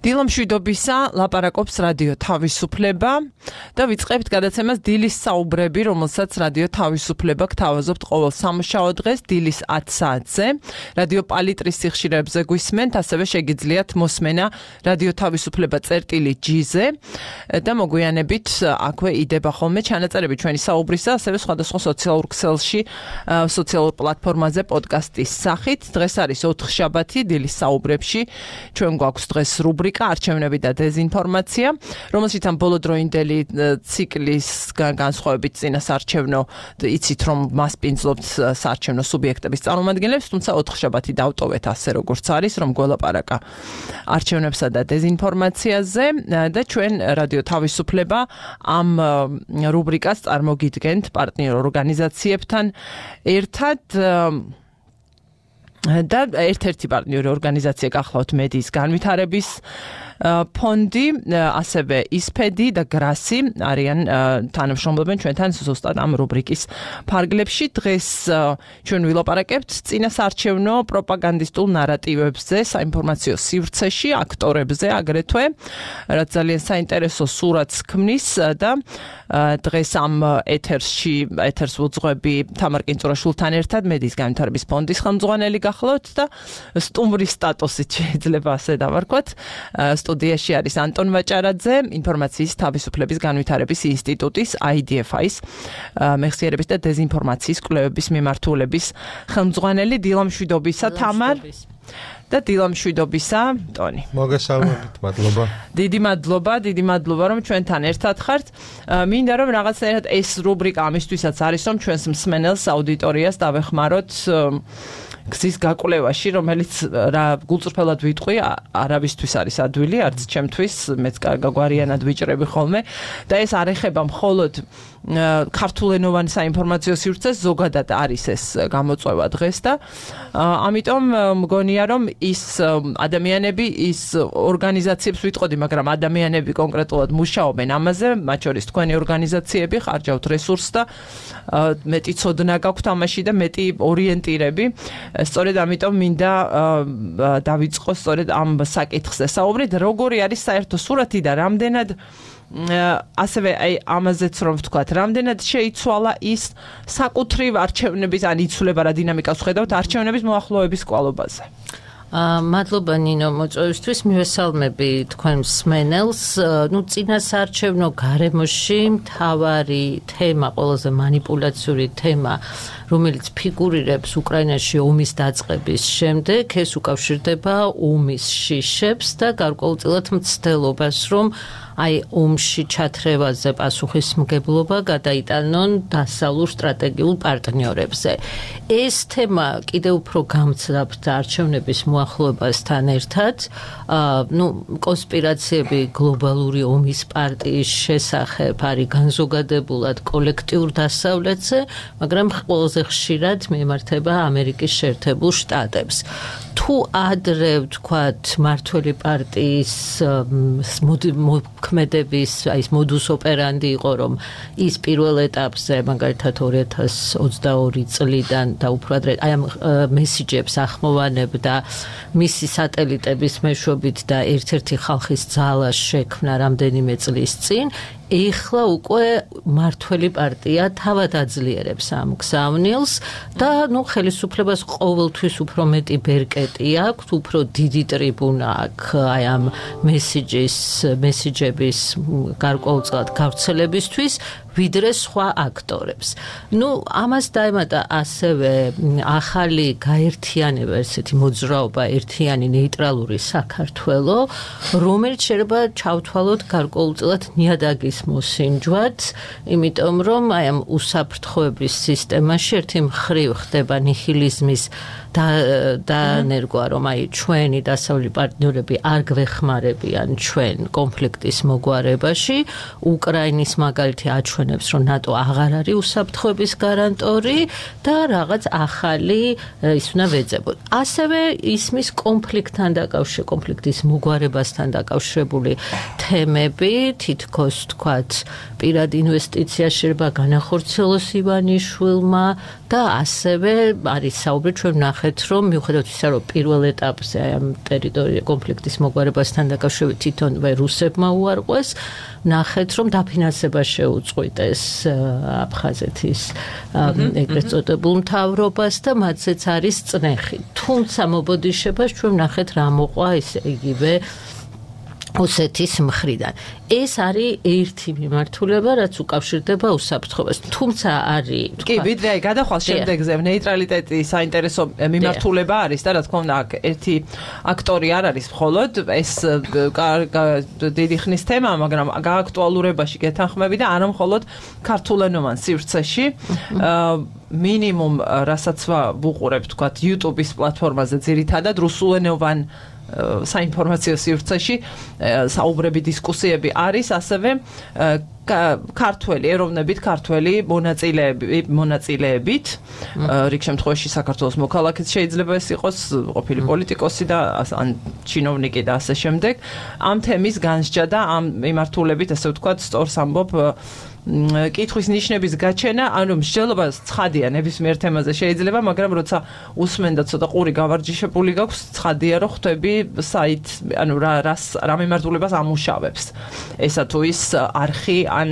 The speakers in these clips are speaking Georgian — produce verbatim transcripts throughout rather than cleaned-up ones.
დილა მშვიდობისა, ლაპარაკობს რადიო თავისუფლება და ვიწყებთ გადაცემას დილის საუბრები, რომელსაც რადიო თავისუფლება გთავაზობთ ყოველ სამუშაო დღეს დილის ათი საათზე. რადიო პალიტრის სიხშირეებზე გვისმენთ, ასევე შეგიძლიათ მოსმენა რადიო თავისუფლება წერტილი ჯი-ზე და მოგვიანებით აქვე იდება ხოლმე ჩანაწერები ჩვენი საუბრისა, ასევე სხვადასხვა სოციალურ ქსელში, სოციალურ პლატფორმაზე პოდკასტის სახით. დღეს არის ოთხშაბათი დილის საუბრებში. ჩვენ გვაქვს დღეს რუბრიკა არჩევნები და დეზინფორმაცია, რომელშიც ამ ბოლოდროინდელი ციკლის განსხვავებით წინასარჩევნო იცით რომ მასპინძლობთ საარჩევნო სუბიექტების წარმომადგენლებს, თუმცა ოთხშაბათი დავტოვეთ ასე როგორც არის, რომ გველაპარაკა არჩევნებსა და დეზინფორმაციაზე და ჩვენ რადიო თავისუფლება ამ რუბრიკას წარმოგიდგენთ პარტნიორ ორგანიზაციებთან ერთად და ერთ-ერთი პარტნიორი ორგანიზაცია გახლავთ მედიის განვითარების ფონდი, ასევე ისფედი და გრასი არიან თანამშრომლობენ ჩვენთან ზუსტად ამ რუბრიკის ფარგლებში. დღეს ჩვენ ვილაპარაკებთ წინასარჩევნო პროპაგანდისტულ ნარატივებზე, საინფორმაციო სივრცეში, აქტორებზე აგრეთვე, რაც ძალიან საინტერესო სურათს ქმნის და დღეს ამ ეთერში, ეთერს ვუძღვები თამარ კინწურაშვილთან ერთად, მედიის განვითარების ფონდის ხელმძღვანელი გახლავთ და სტუმრის სტატუსით შეიძლება ასე დავარქვათ. სტუდიაში არის ანტონ ვაჭარაძე, ინფორმაციის თავისუფლების განვითარების ინსტიტუტის აი დი ეფ აის მეხსიერების და დეზინფორმაციის კვლევების მიმართულების ხელმძღვანელი. დილა მშვიდობისა, თამარ. და დილა მშვიდობისა, ტონი. მოგესალმებით, მადლობა. დიდი მადლობა, დიდი მადლობა, რომ ჩვენთან ერთად ხართ. მინდა რომ რაღაცნაირად ეს რუბრიკა ამისთვისაც არის, რომ ჩვენს მსმენელს, აუდიტორიას დავეხმაროთ გზის გაკვლევაში, რომელიც რა გულწრფელად ვიტყვი, არავისთვის არის ადვილი, არც ჩემთვის, მეც გაგვარიანად ვიჭრები ხოლმე და ეს არ ეხება მხოლოდ ქართულენოვან საინფორმაციო სივრცეს, ზოგადად არის ეს გამოწვევა დღეს და ამიტომ მგონია რომ ის ადამიანები, ის ორგანიზაციებს ვიტყოდი, მაგრამ ადამიანები კონკრეტულად მუშაობენ ამაზე, მათ შორის თქვენი ორგანიზაციები, ხარჯავთ რესურსს და მეტი ცოდნა გაქვთ ამაში და მეტი ორიენტირები. სწორედ ამიტომ მინდა დავიწყო სწორედ ამ საკითხზე საუბრით, როგორი არის საერთო სურათი და რამდენად ასევე აი ამაზეც რომ ვთქვათ, რამდენად შეიცვალა ის საკუთრივ არჩევნების ან იცვლება რა დინამიკას ხედავთ არჩევნების მოახლოების კვალობაზე. მადლობა ნინო მოწვევისთვის, მივესალმები თქვენ მსმენელს. ნუ წინასარჩევნო გარემოში მთავარი თემა, ყველაზე манипуляციური თემა, რომელიც ფიგურირებს უკრაინაში ომის დაწყების შემდეგ, ეს უკავშირდება ომის შიშებს და გარკვეულწილად მცდელობას, რომ აი ომში ჩათრევაზე პასუხისმგებლობა გადაიტანონ დასავლურ სტრატეგიულ პარტნიორებზე. ეს თემა კიდევ უფრო გამძლეობთ არჩევნების მოახლოებასთან ერთად. ნუ კონსპირაციები გლობალური ომის პარტიის შესახებ არის განზოგადებულად კოლექტიურ დასავლეთზე, მაგრამ ყველაზე ხშირად მიემართება ამერიკის შეერთებულ შტატებს. თუ ადრე ვთქვათ მართველი პარტიის მოქმედების აი ეს მოდუს ოპერანდი იყო, რომ ის პირველ ეტაპზე მაგალითად ორი ათას ოცდაორი წლიდან და უფრო ადრე აი ამ მესიჯებს ახმოვანებდა მისი სატელიტების მეშვეობით და ერთ-ერთი ხალხის ძალა შექმნა რამდენიმე წლის წინ. ეხლა უკვე მართველი პარტია თავად აძლიერებს ამ გზავნილს და ნუ ხელისუფლებას ყოველთვის უფრო მეტი ბერკეტი აქვს, უფრო დიდი ტრიბუნა აქვს აი ამ მესიჯის მესიჯების გარკვეულწილად გავრცელებისთვის, ვიდრე სხვა აქტორებს. ნუ ამას დაემატა ასევე ახალი გაერთიანება, ესეთი მოძრაობა, ერთიანი ნეიტრალური საქართველო, რომელიც შეიძლება ჩავთვალოთ გარკვეულწილად ნიადაგის მოსინჯვად, იმიტომ რომ აი ამ უსაფრთხოების სისტემაში ერთი მხრივ ხდება ნიჰილიზმის დაანერგვა, რომ აი ჩვენი დასავლური პარტნიორები არ გვეხმარებიან ჩვენ კონფლიქტის მოგვარებაში. უკრაინის მაგალითი აჩვენებს, რომ ნატო აღარ არის უსაფრთხოების გარანტორი და რაღაც ახალი ის უნდა ვეძებოთ. ასევე ისმის კონფლიქტთან დაკავშირებული, კონფლიქტის მოგვარებასთან დაკავშირებული თემები, თითქოს თქვათ, პირად ინვესტიცია შეიძლება განახორციელოს ივანიშვილმა და ასევე არის საუბრი ჩვენ ნახეთ, რომ მიუხედავად ისა, რომ რომ პირველ ეტაპზე აი ამ ტერიტორია კონფლიქტის მოგვარებასთან დაკავშირებით თვითონვე რუსებმა უარყვეს, ნახეთ რომ დაფინანსება შეუწყვიტეს აფხაზეთის ეგრეთ წოდებულ მთავრობას და მათზეც არის წნეხი. თუმცა მობოდიშებას ჩვენ ნახეთ რა მოყვა ისე იგივე ოსეთის მხრიდან. ეს არის ერთი მიმართულება, რაც უკავშირდება უსაფრთხოებას. თუმცა არის კი, ვიდრე აი გადახვალ შემდეგზე ნეიტრალიტეტი საინტერესო მიმართულება არის და რა თქმა უნდა აქ ერთი აქტორი არ არის მხოლოდ ეს დიდი ხნის თემა, მაგრამ გააქტუალურებაში გეთანხმები და არა მხოლოდ ქართულენოვან სივრცეში მინიმუმ რასაც ვუყურებ თქვათ YouTube-ის პლატფორმაზე ძირითადად რუსულენოვან საინფორმაციო სივრცეში საუბრები, დისკუსიები არის, ასევე ქართველი, ეროვნებით ქართველი მონაწილეები, მონაწილეებით, რიგ შემთხვევაში საქართველოს მოქალაქეც შეიძლება ეს იყოს, ყოფილი პოლიტიკოსი და ან ჩინოვნიკი და ასე შემდეგ. ამ თემის განსჯა და ამ მიმართულებით, ასე ვთქვათ, სწორს ამბობ კითხვის ნიშნების გაჩენა, ანუ მსჯელობა ცხადია ნებისმიერ თემაზე შეიძლება, მაგრამ როცა უსმენ და ცოტა ყური გავარჯიშებული გაქვს, ცხადია რომ ხვდები საით, ანუ რა რა მიმართულებას ამუშავებს. ესა თუ ის არხი ან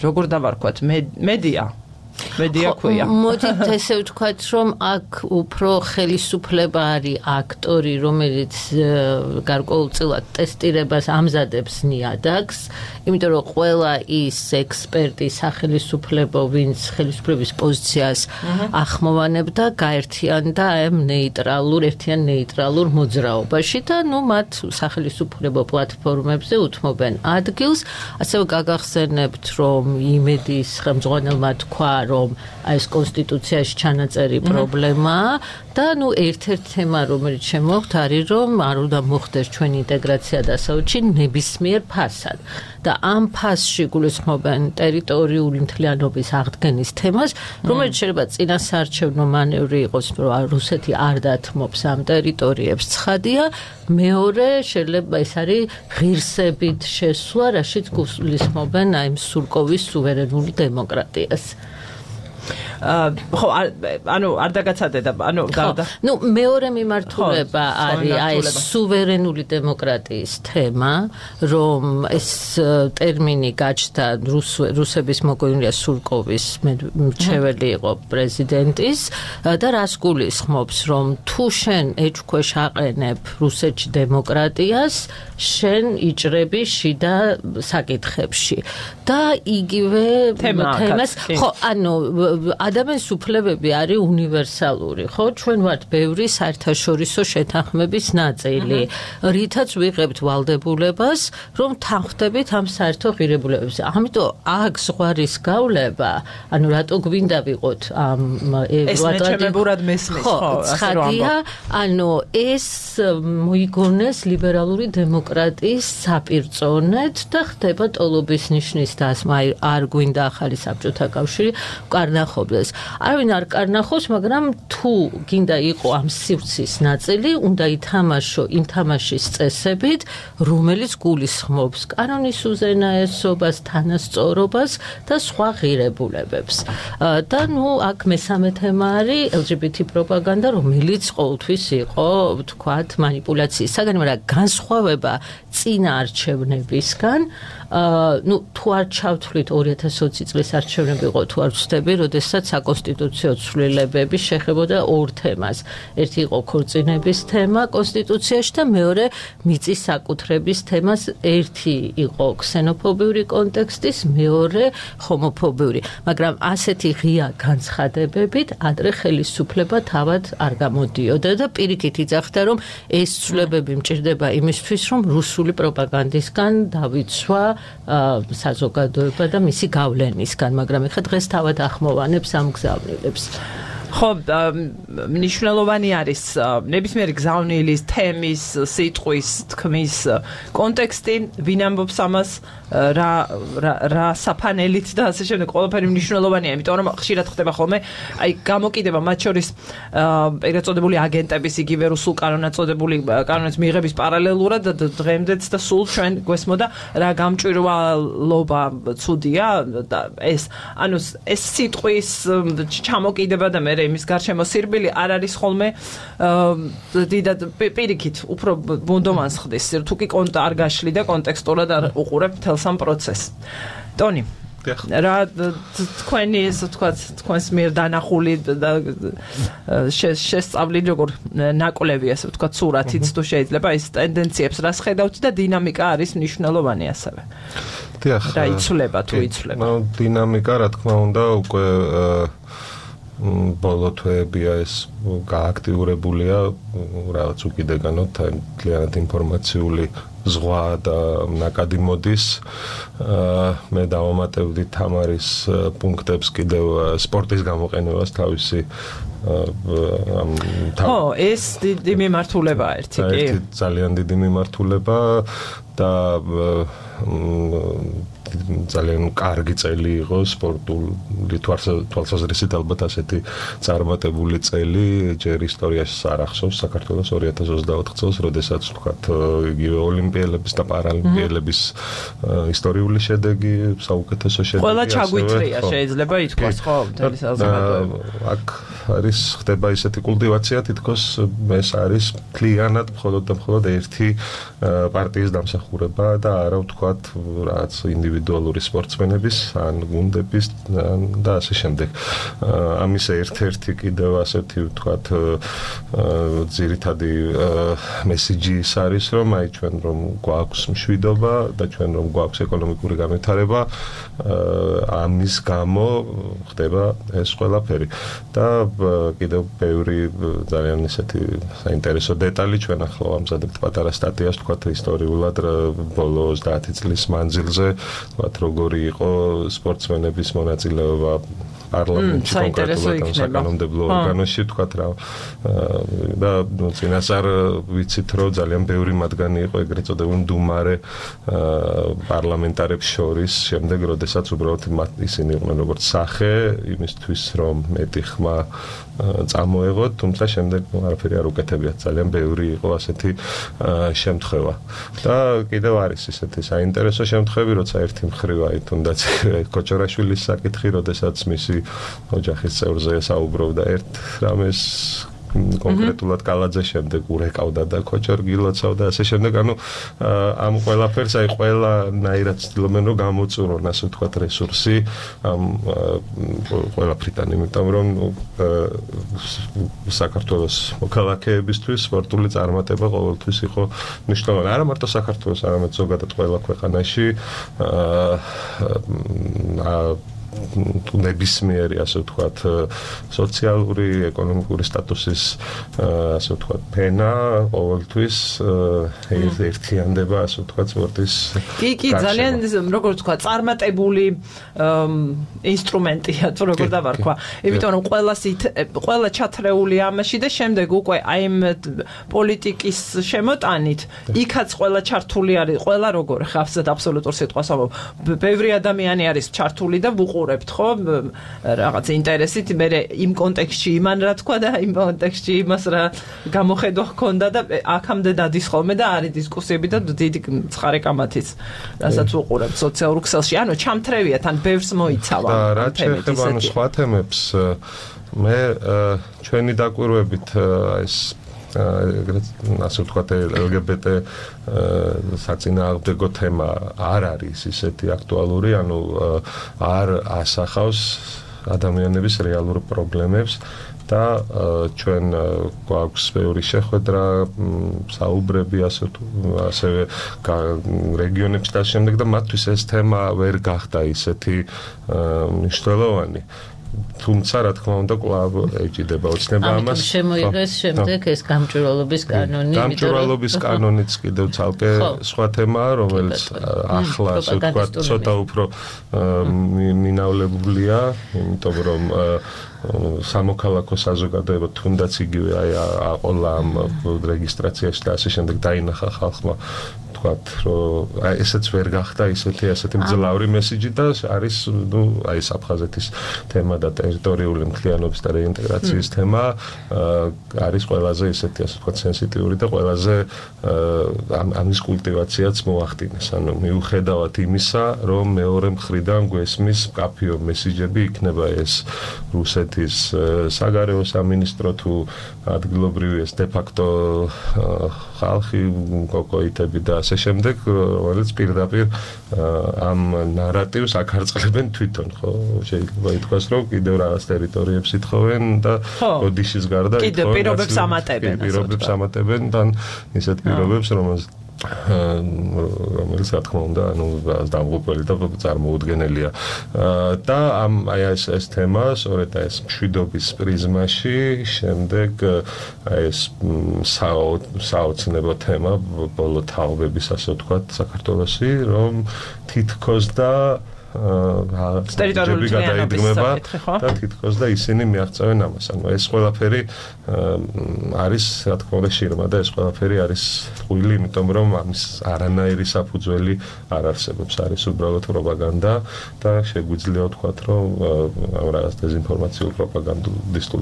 როგორ დავარქვათ, მედია მედია ქვია. მოდით ესე ვთქვათ, რომ აქ უფრო ხელისუფლება არის აქტორი, რომელიც გარკვეულწილად ტესტირებას ამზადებს ნიადაგს, იმიტომ რომ ყველა ის ექსპერტი სახელისუფლებო, ვინც ხელისუფლების პოზიციას ახმოვანებდა, გაერთიანდა ამ ნეიტრალურ, ერთიან ნეიტრალურ მოძრაობაში და ნუ მათ სახელისუფლებო პლატფორმებზე უთმობენ ადგილს. ასევე გაგახსენებთ, რომ იმედის ხელმძღვანელმა თქვა, რომ ეს კონსტიტუციაში ჩანაწერი პრობლემაა და ნუ ერთ-ერთი თემა, რომელიც შემოგვთ, არის რომ არ უნდა მოხდეს ჩვენი ინტეგრაცია დასავლეთში ნებისმიერ ფასად. და ამ ფასში გულისხმობენ ტერიტორიული მთლიანობის აღდგენის თემას, რომელიც შეიძლება წინასაარჩევნო მანევრი იყოს, რომ რუსეთი არ დათმობს ამ ტერიტორიებს, ცხადია. მეორე შეიძლება ეს არის ღირსებით შესვლა, რაშიც გულისხმობენ აი სურკოვის სუვერენული დემოკრატიას. ხო, ანუ არ დაგაცადე და ანუ ნუ მეორე მიმართულება არის აი ეს სუვერენული დემოკრატიის თემა, რომ ეს ტერმინი გაჩნდა რუსების მოგონილია სურკოვის მრჩეველი იყო პრეზიდენტის და რას გულისხმობს, რომ თუ შენ ეჭქვეშ აყენებ რუსეთში დემოკრატიას, შენ იჭრები შიდა საკითხებში და იგივე თემას, ხო, ანუ ადამიანის უფლებები არის უნივერსალური, ხო? ჩვენ ვართ ბევრი საერთაშორისო შეთანხმების ნაწილი, რითაც ვიღებთ ვალდებულებას, რომ თანხმდებით ამ საერთო ღირებულებებზე. ამიტომ აქ ზღვარის გავლება, ანუ რატო გვინდა ვიყოთ ამ ევროატლანტიკურად მესმის, ხო, ცხადია, ანუ ეს მოიგონეს ლიბერალური დემოკრატიის საპირწონედ და ხდება ტოლობის ნიშნის დასმა, არ გვინდა ახალი საბჭოთა კავშირი კარნახობდეს. არავინ არ კარნახობს, მაგრამ თუ გინდა იყო ამ სივრცის ნაწილი, უნდა ითამაშო იმ თამაშის წესებით, რომელიც გულისხმობს კანონის უზენაესობას, თანასწორობას და სხვა ღირებულებებს. და ნუ აქ მესამე თემა არის ელ ჯი ბი თი პროპაგანდა, რომელიც ყოველთვის იყო, ვთქვათ, манипуляციის საგანი, მაგრამ განსხვავება წინა არჩევნებისგან, ნუ თუ არ ჩავთვლით ორი ათას ოცი წლის არჩევნები იყო, თუ არ ვცდები, როდესაც საკონსტიტუციო ცვლილებები შეხებოდა ორ თემას. ერთი იყო ქორწინების თემა კონსტიტუციაში და მეორე მიწის საკუთრების თემას. ერთი იყო ქსენოფობიური კონტექსტის, მეორე ჰომოფობიური. მაგრამ ასეთი ღია განცხადებებით ადრე ხელისუფლება თავად არ გამოდიოდა და პირიქით იძახდა, რომ ეს ცვლილებები მჭირდება იმისთვის, რომ რუსული პროპაგანდისგან დავიცვა საზოგადოება და მისი გავლენისგან, მაგრამ ეხლა დღეს თავად ახმოვანებს ამ გზავნილებს. ხო, მნიშვნელოვანი არის ნებისმიერი გზავნილის, თემის, სიტყვის, თქმის კონტექსტი, ვინ ამბობს ამას, რა რა საფანელით და ასე შემდეგ, ყველაფერი მნიშვნელოვანია, იმიტომ რომ ხშირად ხდება ხოლმე, აი გამოკიდება მათ შორის ეგრეთ წოდებული აგენტების, იგივე რუსულ კანონად წოდებული კანონის მიღების პარალელურად და დღემდეც და სულ ჩვენ გვესმოდა რა გამჭვირვალობა ცუდია და ეს, ანუ ეს სიტყვის ჩამოკიდება და მე მე იმის გარშემო სირბილი არ არის ხოლმე დიდად პირიქით უფრო ბუნდომანს ხდის თუ კი კონტ არ გაშლი და კონტექსტურად არ უყურებ მთელს ამ პროცესს. ტონი რა თქვენი ესე თქვა თქვენს მიერ დანახული და შესწავლილი როგორ ნაკვლევი ასე თქვა სურათიც თუ შეიძლება ის ტენდენციებს რას ხედავთ და დინამიკა არის მნიშვნელოვანი ასევე. დიახ. რა იცვლება თუ იცვლება. ნუ დინამიკა რა თქმა უნდა უკვე ბოლო თვეებია ეს გააქტიურებულია რაღაც უკიდეგანოთ ძალიან ინფორმაციული ზღვა და ნაკადი მოდის. მე დავამატებდი თამარის პუნქტებს კიდევ სპორტის გამოყენებას თავისი ხო, ეს დიდი მიმართულებაა ერთი კი. ერთი ძალიან დიდი მიმართულება და ძალიან კარგი წელი იყო სპორტული თვალსაზრისით ალბათ ასეთი წარმატებული წელი ჯერ ისტორიაში არ ახსოვს საქართველოს ორი ათას ოცდაოთხ წელს, როდესაც ვთქვათ იგივე ოლიმპიელების და პარალიმპიელების ისტორიული შედეგი, საუკეთესო შედეგი. ყველა ჩაგვიწრია შეიძლება ითქვას ხო მთელი საზოგადოება. აქ არის ხდება ისეთი კულტივაცია თითქოს ეს არის მთლიანად მხოლოდ და მხოლოდ ერთი პარტიის დამსახურება და არა ვთქვათ რაც ინდივიდუალური სპორტსმენების ან გუნდების და ასე შემდეგ. ამის ერთ-ერთი კიდევ ასეთი ვთქვათ ძირითადი მესიჯი ის არის რომ აი ჩვენ რომ გვაქვს მშვიდობა და ჩვენ რომ გვაქვს ეკონომიკური განვითარება ამის გამო ხდება ეს ყველაფერი და კიდევ ბევრი ძალიან ისეთი საინტერესო დეტალი ჩვენ ახლა ვამზადებთ პატარა სტატიას ვთქვათ ისტორიულად ბოლო ოცდაათი წლის მანძილზე ვთქვათ როგორი იყო სპორტსმენების მონაწილეობა პარლამენტში კონკრეტულად ამ საკანონმდებლო ორგანოში ვთქვათ რა და წინასწარ ვიცით რომ ძალიან ბევრი მათგანი იყო ეგრეთ წოდებული მდუმარე პარლამენტარებს შორის შემდეგ როდესაც უბრალოდ ისინი იყვნენ როგორც სახე იმისთვის რომ მეტი ხმა წამოეღოთ თუმცა შემდეგ არაფერი არ უკეთებიათ ძალიან ბევრი იყო ასეთი შემთხვევა და კიდევ არის ისეთი საინტერესო შემთხვევები როცა ერთი მხრივ აი თუნდაც კოჭორაშვილის საკითხი როდესაც მისი ოჯახის წევრზე საუბრობდა ერთ რამეს კონკრეტულად კალაძე შემდეგ ურეკავდა და კოჭორგილოცავ და ასე შემდეგ ანუ ამ ყველაფერს აი ყველანაირად ცდილობენ რომ გამოწურონ ასე ვთქვათ რესურსი ამ ყველაფრიდან იმიტომ რომ საქართველოს მოქალაქეებისთვის სპორტული წარმატება ყოველთვის იყო მნიშვნელოვანი არა მარტო საქართველოს არამედ ზოგადად ყველა ქვეყანაში აა თუ ნებისმიერი ასე ვთქვათ სოციალური ეკონომიკური სტატუსის ასე ვთქვათ ფენა ყოველთვის ერთიანდება ასე ვთქვათ სპორტის კი კი ძალიან როგორ ვთქვათ წარმატებული ინსტრუმენტია თუ როგორ დავარქვა იმიტომ რომ ყველას ყველა ჩათრეულია ამაში და შემდეგ უკვე აი ამ პოლიტიკის შემოტანით იქაც ყველა ჩართული არის ყველა როგორ ხავსად აბსოლუტურ სიტყვას ამბობ ბევრი ადამიანი არის ჩართული და ვუყურებთ ხო რაღაც ინტერესით მე იმ კონტექსტში იმან რა თქვა და იმ კონტექსტში იმას რა გამოხედვა ჰქონდა და აქამდე დადის ხოლმე და არის დისკუსიები და დიდი ცხარე კამათიც რასაც ვუყურებთ სოციალურ ქსელში ანუ ჩამთრევია თან ბევრს მოიცავა და რა შეიძლება ანუ სხვა თემებს მე ჩვენი დაკვირვებით ეს ეგრეთ ასე ვთქვათ ელ გი ბი ტი საწინააღმდეგო თემა არ არის ისეთი აქტუალური, ანუ არ ასახავს ადამიანების რეალურ პრობლემებს და ჩვენ გვაქვს ბევრი შეხვედრა, საუბრები ასე ასევე რეგიონებში და შემდეგ და მათთვის ეს თემა ვერ გახდა ისეთი მნიშვნელოვანი. თუმცა რა თქმა უნდა კვლავ ეჭიდება ოცნება ამას. ამიტომ შემოიღეს შემდეგ ეს გამჭვირვალობის კანონი. გამჭვირვალობის კანონიც კიდევ ცალკე სხვა თემაა, რომელიც ახლა ასე ვთქვათ, ცოტა უფრო მინავლებულია, იმიტომ რომ სამოქალაქო საზოგადოება თუნდაც იგივე აი აყოლა ამ რეგისტრაციაში და ასე შემდეგ დაინახა ხალხმა ვთქვათ, რომ აი ესეც ვერ გახდა ისეთი ასეთი მძლავრი მესიჯი და არის ნუ აი საფხაზეთის თემა და ტერიტორიული მთლიანობის და რეინტეგრაციის თემა არის ყველაზე ისეთი ასე ვთქვათ სენსიტიური და ყველაზე ამის კულტივაციაც მოახდინეს. ანუ მიუხედავად იმისა, რომ მეორე მხრიდან გვესმის კაფიო მესიჯები იქნება ეს რუსეთის საგარეო სამინისტრო თუ ადგილობრივი ეს დე-ფაქტო ხალხი კოკოიტები და ასე შემდეგ, რომელიც პირდაპირ ამ ნარატივს აკარწყლებენ თვითონ, ხო? შეიძლება ითქვას, რომ კიდევ რაღაც ტერიტორიებს ითხოვენ და ოდიშის გარდა კიდევ პირობებს ამატებენ. პირობებს ამატებენ და ისეთ პირობებს, რომელსაც რომელიც რა თქმა უნდა, ანუ დამღუპველი და წარმოუდგენელია. და ამ აი ეს ეს თემა, სწორედ ეს მშვიდობის პრიზმაში, შემდეგ აი ეს საოცნებო თემა, ბოლო თაობების ასე ვთქვათ, საქართველოში, რომ თითქოს და ტერიტორიული გადაიდგმება და თითქოს და ისინი მიაღწევენ ამას. ანუ ეს ყველაფერი არის, რა თქმა უნდა, შირმა და ეს ყველაფერი არის ტყუილი, იმიტომ რომ ამის არანაირი საფუძველი არ არსებობს. არის უბრალოდ პროპაგანდა და შეგვიძლია ვთქვათ, რომ ამ რაღაც დეზინფორმაციულ პროპაგანდისტულ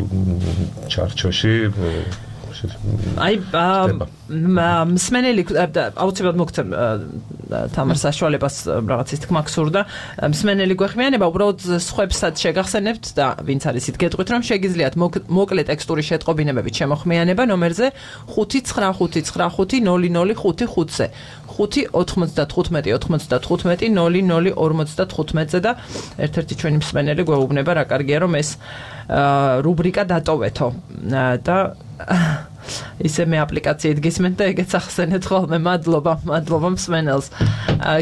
ჩარჩოში აი მსმენელი აუცილებლად მოგცემ თამარ საშუალებას რაღაცის თქმა გსურდა მსმენელი გვეხმიანება უბრალოდ სხვებსაც შეგახსენებთ და ვინც არის ით გეტყვით რომ შეგიძლიათ მოკლე ტექსტური შეტყობინებებით შემოხმიანება ნომერზე ხუთი ცხრა ხუთი ცხრა ხუთი ნული ნული ხუთი ხუთზე ხუთი ოცდათხუთმეტი ოცდათხუთმეტი ნული ნული ორმოცდათხუთმეტზე და ერთ-ერთი ჩვენი მსმენელი გვეუბნება რა კარგია რომ ეს რუბრიკა დატოვეთო და ისე მე აპლიკაციით გისმენთ და ეგეც ახსენეთ ხოლმე მადლობა მადლობა მსმენელს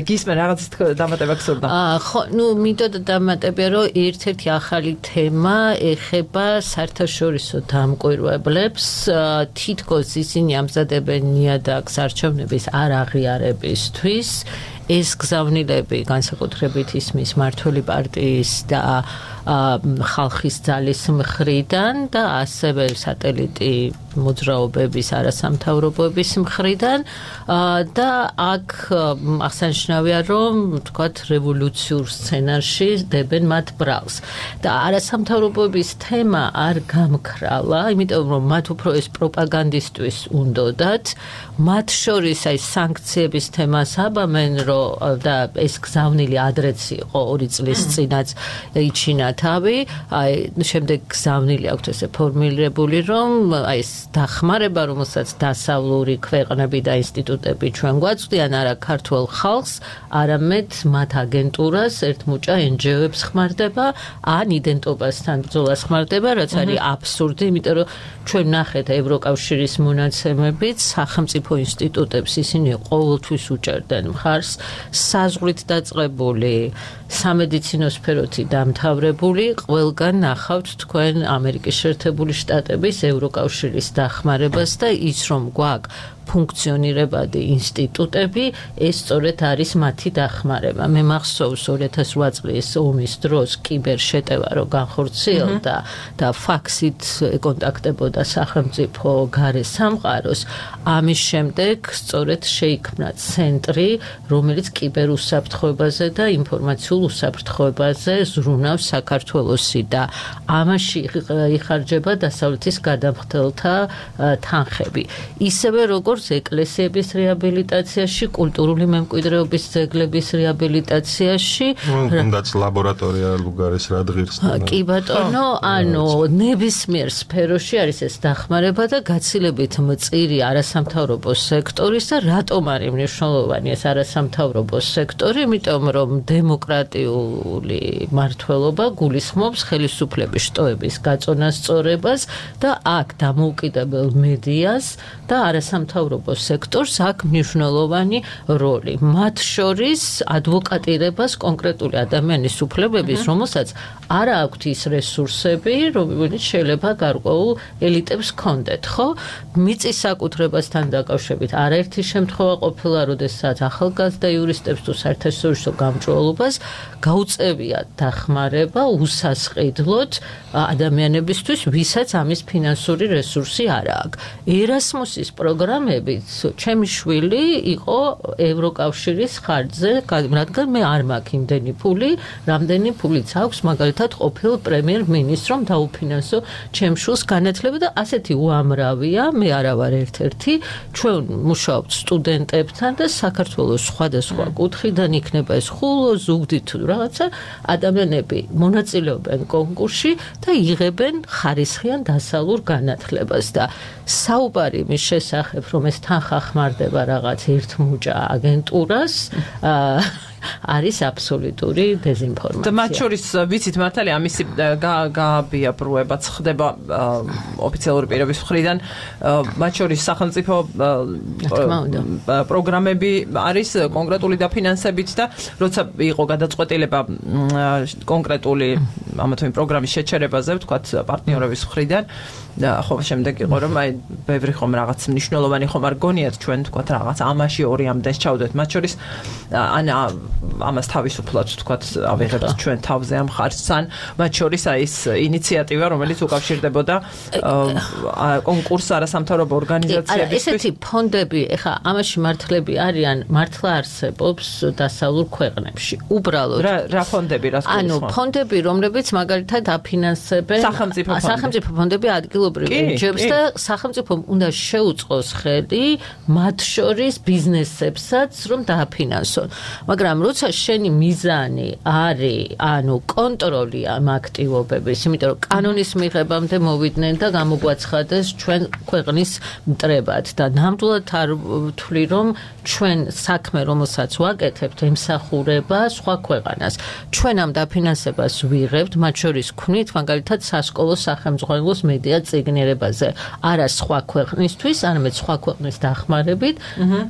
გისმენ რაღაცის დამატება გსურდა ხო ნუ მინდოდა დამატებია რომ ერთ-ერთი ახალი თემა ეხება საერთაშორისო დამკვირვებლებს თითქოს ისინი ამზადებენ ნიადაგს არჩევნების არ აღიარებისთვის ეს გზავნილები განსაკუთრებით ისმის მმართველი პარტიის და ხალხის ძალის მხრიდან და ასევე სატელიტი მოძრაობების არასამთავრობოების მხრიდან და აქ აღსანიშნავია რომ თქვათ რევოლუციურ სცენარში დებენ მათ ბრალს და არასამთავრობოების თემა არ გამქრალა იმიტომ რომ მათ უფრო ეს პროპაგანდისტვის უნდოდათ მათ შორის აი სანქციების თემას აბამენ რომ და ეს გზავნილი ადრეც იყო ორი წლის წინაც იჩინა თავი აი შემდეგ გზავნილი აქვს ესე ფორმულირებული რომ აი ეს დახმარება რომელსაც დასავლური ქვეყნები და ინსტიტუტები ჩვენ გვაწვდიან არა ქართულ ხალხს არამედ მათ აგენტურას ერთმუჭა en ge o-ებს ხმარდება ან იდენტობასთან ბრძოლას ხმარდება რაც არის აბსურდი იმიტომ რომ ჩვენ ნახეთ ევროკავშირის მონაცემებით სახელმწიფო ინსტიტუტებს ისინი ყოველთვის უჭერდნენ მხარს საზღვრით დაწყებული სამედიცინო სფეროთი დამთავრებული ყველგან ნახავთ თქვენ ამერიკის შეერთებული შტატების ევროკავშირის დახმარებას და ის რომ გვაქვს ფუნქციონირებადი ინსტიტუტები ეს სწორედ არის მათი დახმარება მე მახსოვს ორი ათას ოთხ წლის ომის დროს კიბერ შეტევა რო განხორციელდა და ფაქსით ეკონტაქტებოდა სახელმწიფო გარე სამყაროს ამის შემდეგ სწორედ შეიქმნა ცენტრი რომელიც კიბერ უსაფრთხოებაზე და ინფორმაციულ უსაფრთხოებაზე ზრუნავს საქართველოსი და ამაში იხარჯება დასავლეთის გადამხდელთა თანხები ისევე როგორც ეკლესიების რეაბილიტაციაში, კულტურული მემკვიდრეობის ძეგლების რეაბილიტაციაში, თუნდაც ლაბორატორია ლუგარის რადღირს. კი ბატონო, ანუ ნებისმიერ სფეროში არის ეს დახმარება და გაცილებით მწირი არასამთავრობო სექტორის და რატომ არის მნიშვნელოვანი ეს არასამთავრობო სექტორი, იმიტომ რომ დემოკრატიული მართლობა გულისხმობს ხელისუფლების შტოების გაწონასწორებას და აქ დამოუკიდებელ მედიას და არასამთავრობო სექტორს აქვს მნიშვნელოვანი როლი. მათ შორის ადვოკატირებას კონკრეტული ადამიანის უფლებების, რომელსაც არ აქვთ ის რესურსები, რომელიც შეიძლება გარკვეულ ელიტებს ჰქონდეთ, ხო? მიწის საკუთრებასთან დაკავშირებით არაერთი შემთხვევა ყოფილა, როდესაც ახალგაზრდა იურისტებს თუ საერთაშორისო გამჭვირვალობას გაუწევიათ დახმარება უსასყიდლოდ ადამიანებისთვის, ვისაც ამის ფინანსური რესურსი არ აქვს. ერასმუსის პროგრამა ადამიანებიც ჩემი შვილი იყო ევროკავშირის ხარჯზე, რადგან მე არ მაქვს იმდენი ფული, რამდენი ფულიც აქვს მაგალითად ყოფილ პრემიერ-მინისტრს რომ დაუფინანსო ჩემ შვილს განათლება და ასეთი უამრავია, მე არა ვარ ერთ-ერთი, ჩვენ მუშაობთ სტუდენტებთან და საქართველოს სხვადასხვა კუთხიდან იქნება ეს ხულო, ზუგდი თუ რაღაცა ადამიანები მონაწილეობენ კონკურსში და იღებენ ხარისხიან დასავლურ განათლებას და საუბარი მის შესახებ რომ ეს თანხა ხმარდება რაღაც ერთმუჭა აგენტურას არის აბსოლუტური დეზინფორმაცია. და მათ შორის ვიცით მართალია ამისი გააბიაბრუებაც ხდება ოფიციალური პირების მხრიდან, მათ შორის სახელმწიფო პროგრამები არის კონკრეტული დაფინანსებით და როცა იყო გადაწყვეტილება კონკრეტული ამა თუ იმ პროგრამის შეჩერებაზე, ვთქვათ, პარტნიორების მხრიდან და ხო შემდეგ იყო რომ აი ბევრი ხომ რაღაც მნიშვნელოვანი ხომ არ გონიათ ჩვენ ვთქვათ რაღაც ამაში ორი ამდენს ჩავდეთ მათ შორის ან ამას თავისუფლად ვთქვათ ავიღებთ ჩვენ თავზე ამ ხარჯთან მათ შორის აი ეს ინიციატივა რომელიც უკავშირდებოდა კონკურს არასამთავრობო ორგანიზაციებისთვის ესეთი ფონდები ეხა ამაში მართლები არიან მართლა არსებობს დასავლურ ქვეყნებში უბრალოდ რა რა ფონდები რას გულისხმობ ანუ ფონდები რომლებიც მაგალითად აფინანსებენ სახელმწიფო ფონდები ადგილობრივ ენჯიოებს და სახელმწიფომ უნდა შეუწყოს ხელი მათ შორის ბიზნესებსაც რომ დააფინანსონ მაგრამ როცა შენი მიზანი არის ანუ კონტროლი ამ აქტივობების იმიტომ რომ კანონის მიღებამდე მოვიდნენ და გამოგვაცხადეს ჩვენ ქვეყნის მტრებად და ნამდვილად არ ვთვლი რომ ჩვენ საქმე რომელსაც ვაკეთებთ ემსახურება სხვა ქვეყანას ჩვენ ამ დაფინანსებას ვიღებთ მათ შორის ქმნით მაგალითად სასკოლო სახელმძღვანელოს მედია წიგნიერებაზე არა სხვა ქვეყნისთვის არამედ სხვა ქვეყნის დახმარებით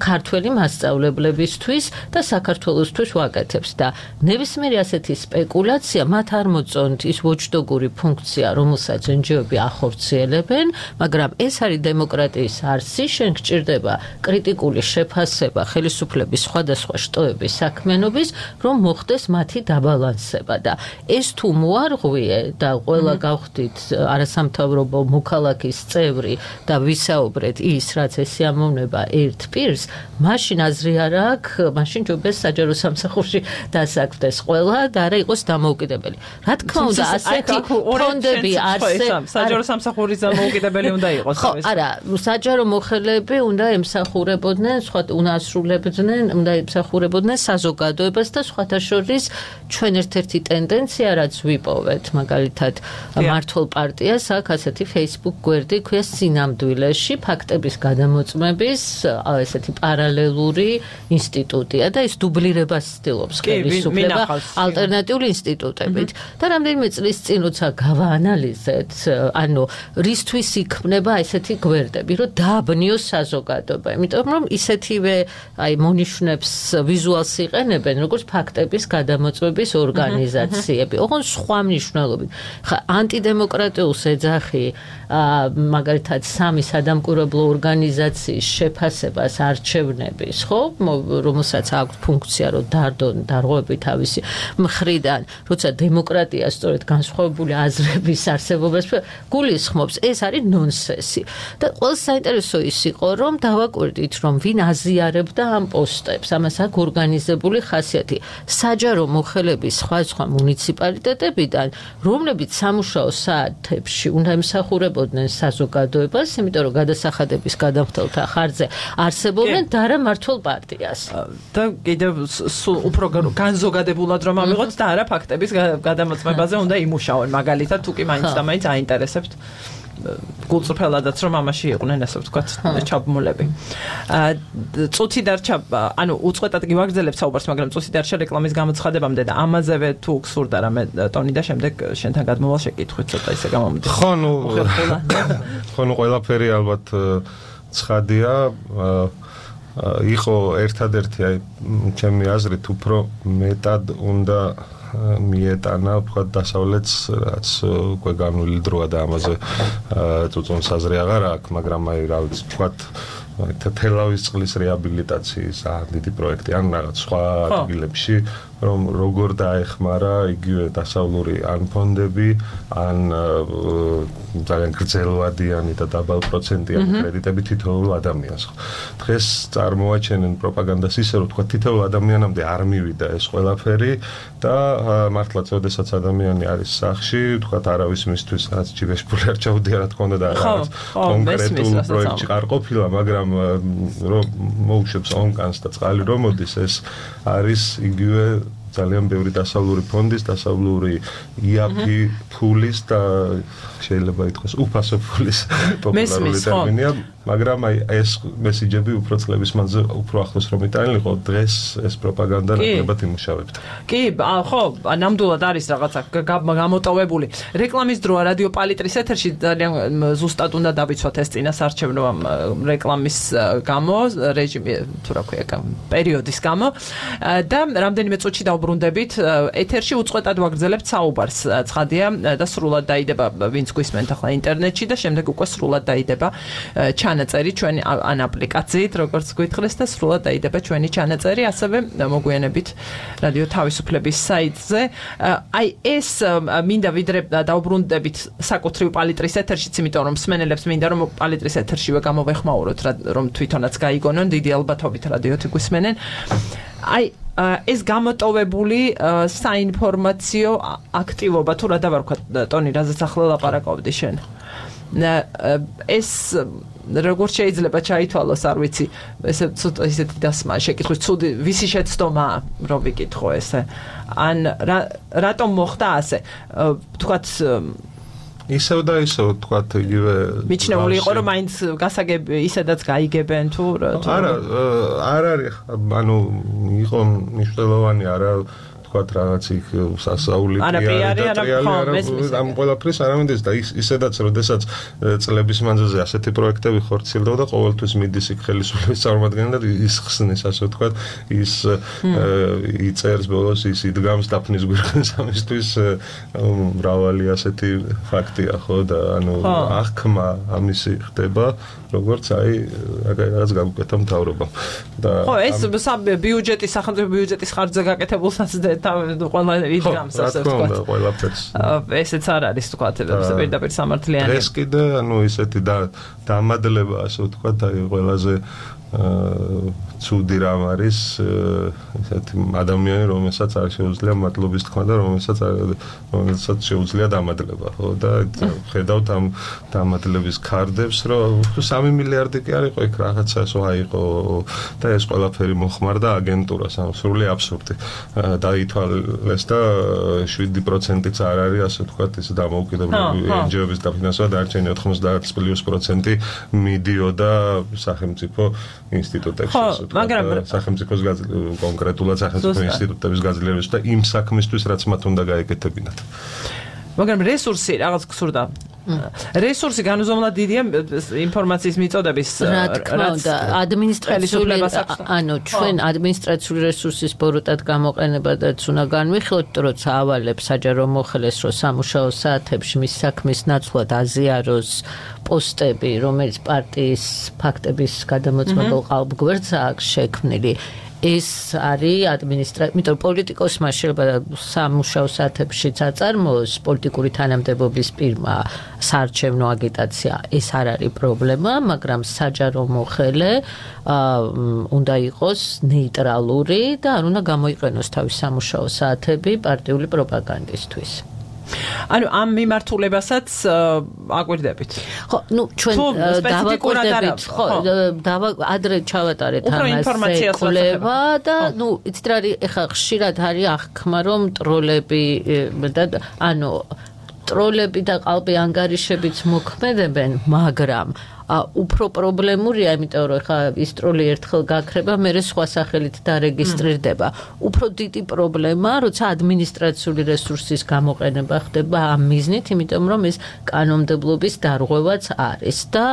ქართველი მასწავლებლებისთვის და საქართველოსთვის ვაკეთებს და ნებისმიერი ასეთი სპეკულაცია მათ არ მოწონთ ის ვოჩდოგური ფუნქცია რომელსაც ენჯიოები ახორციელებენ მაგრამ ეს არის დემოკრატიის არსი შენ გჭირდება კრიტიკული შეფასება ხელისუფლების სხვადასხვა შტოების საქმიანობის რომ მოხდეს მათი დაბალანსება და ეს თუ მოარღვიე და ყველა გავხდით არასამთავრობო მოქალაქის წევრი და ვისაუბრეთ ის რაც ესე ამოვნება ერთ პირს მაშინ აზრი არ აქვს მაშინ ჯობეს საჯარო სამსახურში დასაქმდეს ყველა და არა იყოს დამოუკიდებელი რა თქმა უნდა ასეთი ფონდები არსებობს საჯარო სამსახურის დამოუკიდებელი უნდა იყოს ხო არა საჯარო მოხელეები უნდა ემსახურებოდნენ სხვა უნდა ასრულებდნენ უნდა ემსახურებოდნენ საზოგადოებას და სხვათა შორის ჩვენ ერთ-ერთი ტენდენცია რაც ვიპოვეთ მაგალითად მართლ პარტიას აქვს ასეთი Facebook გვერდი ქვია სინამდვილეში ფაქტების გადამოწმების ესეთი პარალელური ინსტიტუტია და ის დუბლირებას ცდილობს ხელისუფლება ალტერნატიული ინსტიტუტებით და რამდენიმე წლის წინ როცა გავაანალიზეთ ანუ რისთვის იქმნება ესეთი გვერდები რომ დააბნიოს საზოგადოება იმიტომ რომ ისეთივე აი მონიშნებს ვიზუალს იყენებენ როგორც ფაქტების გადამოწმების ორგანიზაციები ოღონდ სხვა მნიშვნელობით ხა ანტიდემოკრატიულს ეძახი მაგალითად სამი სადამკვირვებლო ორგანიზაციის შეფასებას არჩევნების ხო რომელსაც აქვს ფუნქცია რომ დარდონ დარღვევები თავისი მხრიდან როცა დემოკრატია სწორედ განსხვავებული აზრების არსებობას გულისხმობს ეს არის ნონსენსი და ყველა საინტერესო ის იყო რომ დავაკვირდით რომ ვინ აზიარებდა ამ პოსტებს ამას აქვს ორგანიზებული ხასიათი საჯარო მოხელების სხვა სხვა მუნიციპალიტეტებიდან რომლებიც სამუშაო საათებში უნდა ემსახურებოდნენ საზოგადოებას იმიტომ რომ გადასახადების გადამხდელთა ხარჯზე არსებობენ და არა მართლ პარტიას და კიდევ სულ უფრო განზოგადებულად რომ ამიღოთ და არა ფაქტების გადამოწმებაზე უნდა იმუშაონ მაგალითად თუ კი მაინც და მაინც აინტერესებთ გულწრფელადაც რომ ამაში იყვნენ ასე ვთქვათ ჩაბმულები. წუთი დარჩა, ანუ უწყვეტად გივაგრძელებ საუბარს, მაგრამ წუთი დარჩა რეკლამის გამოცხადებამდე და ამაზევე თუ გსურდა რამე ტონი და შემდეგ შენთან გადმოვალ შეკითხვით ცოტა ისე გამომდის. ხო, ნუ ხო, ნუ ყველაფერი ალბათ ცხადია. იყო ერთადერთი აი ჩემი აზრით უფრო მეტად უნდა მიეტანა ვთქვათ დასავლეთს რაც უკვე განვლილი დროა და ამაზე წუწუნს აზრი აღარ აქვს მაგრამ აი რა ვიცი ვთქვათ თელავის წყლის რეაბილიტაციის დიდი პროექტი ან რაღაც სხვა ადგილებში რომ როგორ დაეხმარა იგივე დასავლური ან ფონდები, ან ძალიან გრძელვადიანი და დაბალ პროცენტიანი კრედიტები თითოეულ ადამიანს. დღეს წარმოაჩენენ პროპაგანდას ისე, რომ თქვა თითოეულ ადამიანამდე არ მივიდა ეს ყველაფერი და მართლაც ოდესაც ადამიანი არის სახში, თქვა არავის მისთვის რაც ჯიბეშპული არ ჩაუდია რა თქმა უნდა და რაღაც კონკრეტულ პროექტში არ ყოფილა, მაგრამ რომ მოუშვებს ონკანს და წყალი რომ მოდის, ეს არის იგივე ძალიან ბევრი დასავლური ფონდის, დასავლური იაფი ფულის და შეიძლება ითქვას უფასო ფულის პოპულარული ტერმინია, მაგრამ აი ეს მესიჯები უფრო წლების მანძილზე უფრო ახლოს რომ იტანილიყო, დღეს ეს პროპაგანდა ნაკლებად იმუშავებდა. კი, ხო, ნამდვილად არის რაღაცა გამოტოვებული. რეკლამის დროა რადიო პალიტრის ეთერში ძალიან ზუსტად უნდა დავიცვათ ეს წინასარჩევნო რეკლამის გამო, რეჟიმი თუ რა ქვია, პერიოდის გამო და რამდენიმე წუთში დავბრუნდებით ეთერში უწყვეტად ვაგრძელებთ საუბარს. ცხადია და სრულად დაიდება ვინც გვისმენთ ახლა ინტერნეტში და შემდეგ უკვე სრულად დაიდება ჩანაწერი ჩვენი ან აპლიკაციით, როგორც გითხრეს და სრულად დაიდება ჩვენი ჩანაწერი, ასევე მოგვიანებით რადიო თავისუფლების საიტზე. აი ეს მინდა ვიდრე დავბრუნდებით საკუთრივ პალიტრის ეთერშიც, იმიტომ რომ მსმენელებს მინდა რომ პალიტრის ეთერშივე გამოვეხმაუროთ, რომ თვითონაც გაიგონონ, დიდი ალბათობით რადიოთი გვისმენენ. აი ეს გამოტოვებული საინფორმაციო აქტივობა თუ რა დავარქვათ ტონი, რაზეც ახლა ლაპარაკობდი შენ. ეს როგორც შეიძლება ჩაითვალოს, არ ვიცი, ესე ცოტა ისეთი დასმა შეკითხვის, ცუდი ვისი შეცდომა რომ ვიკითხო ესე. ან რატომ მოხდა ასე? თქვათ ისევ და ისევ თქვათ იგივე მიჩნეული იყო რომ მაინც გასაგები ისედაც გაიგებენ თუ არა არ არის ანუ იყო მნიშვნელოვანი არა თქვათ რაღაც იქ სასაულიტია და ამ ყველაფრის არამედ და ისედაც როდესაც წლების მანძილზე ასეთი პროექტები ხორციელდება და ყოველთვის მიდის იქ ხელისუფლების წარმომადგენელი და ის ხსნის ასე ვთქვათ ის იწერს ბოლოს ის იდგამს დაფნის გვირგვინს ამისთვის მრავალი ასეთი ფაქტია ხო და ანუ აღქმა ამისი ხდება როგორც აი რაღაც გაგუკეთა მთავრობამ და ხო ეს ბიუჯეტის სახელმწიფო ბიუჯეტის ხარჯზე გაკეთებულსაც ყველა იდგამს ასე ვთქვათ. ესეც არ არის ვთქვათ პირდაპირ სამართლიანი. ეს კიდე ანუ ისეთი დამადლება ასე ვთქვათ აი ყველაზე ცუდი რამ არის ესეთი ადამიანი რომელსაც არ შეუძლია მადლობის თქმა და რომელსაც რომელსაც შეუძლია დამადლება ხო და ხედავთ ამ დამადლების ქარდებს რომ სამი მილიარდი კი არ იყო იქ რაღაცა ესო აიყო და ეს ყველაფერი მოხმარდა აგენტურას ამ სრული აბსურდი დაითვალეს და შვიდი პროცენტიც არ არის ასე ვთქვათ ეს დამოუკიდებლები ენჯიოების დაფინანსება დარჩენილი ოთხმოცდაათი პლუს პროცენტი მიდიოდა სახელმწიფო ინსტიტუტებში მაგრამ სახელმწიფოს კონკრეტულად სახელმწიფო ინსტიტუტების გაძლიერებას და იმ საქმისთვის რაც მათ უნდა გაეკეთებინათ. მაგრამ რესურსი რაღაც გსურდა. რესურსი განუზომლად დიდია ინფორმაციის მიწოდების რა თქმა უნდა ადმინისტრაციული ანუ ჩვენ ადმინისტრაციული რესურსის ბოროტად გამოყენებადაც უნდა განვიხილოთ, როცა ავალებს საჯარო მოხელეს რომ სამუშაო საათებში მის საქმის ნაცვლად აზიაროს პოსტები, რომელიც პარტიის ფაქტების გადამოწმებულ ყალბგვერდს აქვს შექმნილი. ეს არის ადმინისტრაცია, იმიტომ პოლიტიკოსმა შეიძლება სამუშაო საათებშიც აწარმოოს პოლიტიკური თანამდებობის პირმა საარჩევნო აგიტაცია, ეს არ არის პრობლემა, მაგრამ საჯარო მოხელე უნდა იყოს ნეიტრალური და არ უნდა გამოიყენოს თავის სამუშაო საათები პარტიული პროპაგანდისთვის. ანუ ამ მიმართულებასაც აკვირდებით. ხო, ნუ ჩვენ დავაკვირდებით, ხო, დავა ადრე ჩავატარეთ ამას კვლევა და ნუ იცით რა არის, ეხლა ხშირად არის აღქმა რომ ტროლები და ანუ ტროლები და ყალბი ანგარიშებიც მოქმედებენ, მაგრამ უფრო პრობლემურია, იმიტომ რომ ხა ის ტროლი ერთხელ გაქრება, მერე სხვა სახელით დარეგისტრირდება. უფრო დიდი პრობლემა, როცა ადმინისტრაციული რესურსის გამოყენება ხდება ამ მიზნით, იმიტომ რომ ეს კანონმდებლობის დარღვევაც არის და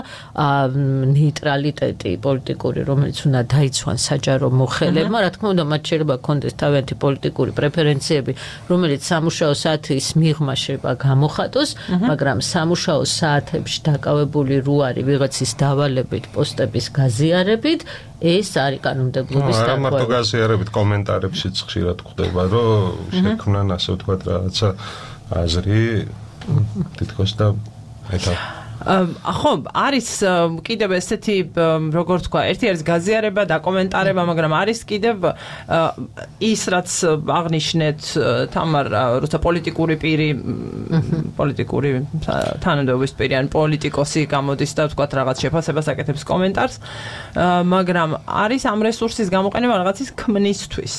ნეიტრალიტეტი პოლიტიკური, რომელიც უნდა დაიცვან საჯარო მოხელებმა, რა თქმა უნდა, მათ შეიძლება კონდეს თავიანთი პოლიტიკური პრეფერენციები, რომელიც სამუშაო საათის მიღმა შეიძლება გამოხატოს, მაგრამ სამუშაო საათებში დაკავებული რო არის ვიღაცის დავალებით, პოსტების გაზიარებით, ეს არის კანონმდებლობის დაკავება. არა მარტო დაკავება. გაზიარებით, კომენტარებშიც ხშირად ხდება, რომ შექმნან ასე ვთქვათ რაღაცა აზრი თითქოს და ეტა ხო, არის კიდევ ესეთი როგორ თქვა, ერთი არის გაზიარება და კომენტარება, მაგრამ არის კიდევ ის რაც აღნიშნეთ თამარ, როცა პოლიტიკური პირი, პოლიტიკური თანამდებობის პირი ან პოლიტიკოსი გამოდის და თქვა რაღაც შეფასებას აკეთებს კომენტარს, მაგრამ არის ამ რესურსის გამოყენება რაღაცის ქმნისთვის.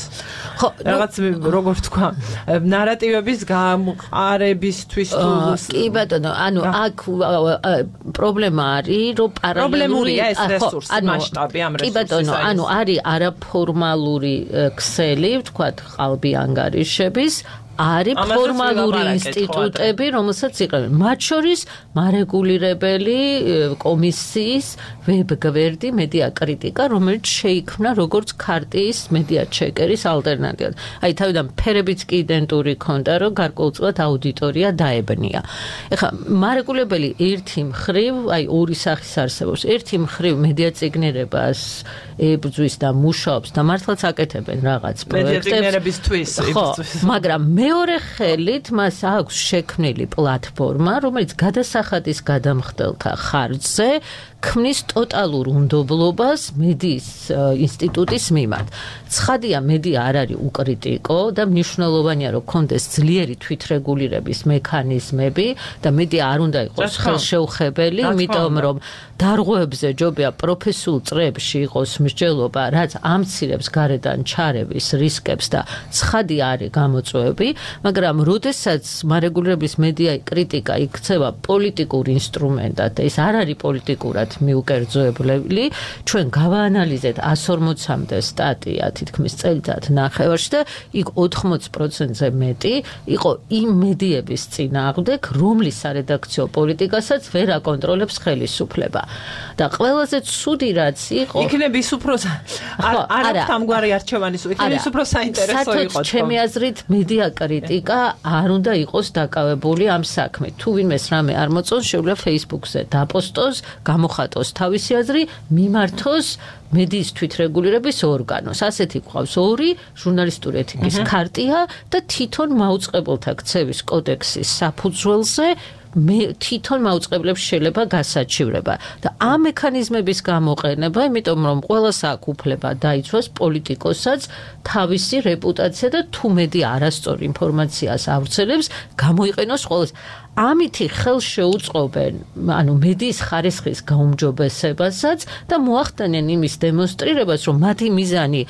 ხო, რაღაც როგორ თქვა, ნარატივების გამყარებისთვის თუ კი ბატონო, ანუ აქ პრობლემა არის, რომ პარალელური ეს რესურსი, მასშტაბი ამ რესურსის. კი ბატონო, ანუ არის არაფორმალური ქსელი, ვთქვათ, ყალბი ანგარიშების, არის ფორმალური ინსტიტუტები, რომელსაც იყენებენ. მათ შორის მარეგულირებელი კომისიის ვებგვერდი მედია კრიტიკა, რომელიც შეიქმნა როგორც ქარტიის მედია ჩეკერის ალტერნატივად. აი თავიდან ფერებიც კი იდენტური ქონდა, რომ გარკვეულწილად აუდიტორია დაებნია. ეხლა მარეგულირებელი ერთი მხრივ, აი ორი სახის არსებობს. ერთი მხრივ მედია წიგნერებას ებრძვის და მუშაობს და მართლაც აკეთებენ რაღაც პროექტებს. მედია წიგნერებისთვის იბრძვის. მაგრამ მეორე ხელით მას აქვს შექმნილი პლატფორმა, რომელიც გადასახადის გადამხდელთა ხარჯზე ქმნის ტოტალურ უნდობლობას მედიის ინსტიტუტის მიმართ. ცხადია, მედია არ არის უკრიტიკო და მნიშვნელოვანია, რომ კონდეს ძლიერი თვითრეგულირების მექანიზმები და მედია არ უნდა იყოს ხელშეუხებელი, იმიტომ რომ დარღვევებზე ჯობია პროფესიულ წრეებში იყოს მსჯელობა, რაც ამცირებს გარედან ჩარევის რისკებს და ცხადია არის გამოწვევები, მაგრამ როდესაც მარეგულირების მედია კრიტიკა იქცევა პოლიტიკურ ინსტრუმენტად და ეს არ არის პოლიტიკურად მიუკერძოებელი, ჩვენ გავაანალიზეთ εκατს ორმოცამდე სტატია თითქმის წელიწად ნახევარში და იქ ოთხმოცი პროცენტზე მეტი იყო იმ მედიების წინააღმდეგ, რომლის სარედაქციო პოლიტიკასაც ვერ აკონტროლებს ხელისუფლება. და ყველაზე ცუდი რაც იყო, იქნებ ის უფრო არ აქვს ამგვარი არჩევანის, იქნებ ის უფრო საინტერესო იყო. ჩემი აზრით მედია კრიტიკა არ უნდა იყოს დაკავებული ამ საქმით. თუ ვინმეს რამე არ მოწონს, შეუძლია Facebook-ზე დაპოსტოს, გამოხატოს თავისი აზრი, მიმართოს მედიის თვითრეგულირების ორგანოს. ასეთი გვყავს ორი ჟურნალისტური ეთიკის ქარტია და თვითონ მაუწყებელთა ქცევის კოდექსის საფუძველზე მე თვითონ მაუწყებლებს შეიძლება გასაჩივრება და ამ მექანიზმების გამოყენება, იმიტომ რომ ყველას აქვს უფლება დაიცვას პოლიტიკოსაც თავისი რეპუტაცია და თუ მედია არასწორ ინფორმაციას ავრცელებს, გამოიყენოს ყველას. ამითი ხელს შეუწყობენ, ანუ მედიის ხარისხის გაუმჯობესებასაც და მოახდენენ იმის დემონსტრირებას, რომ მათი მიზანი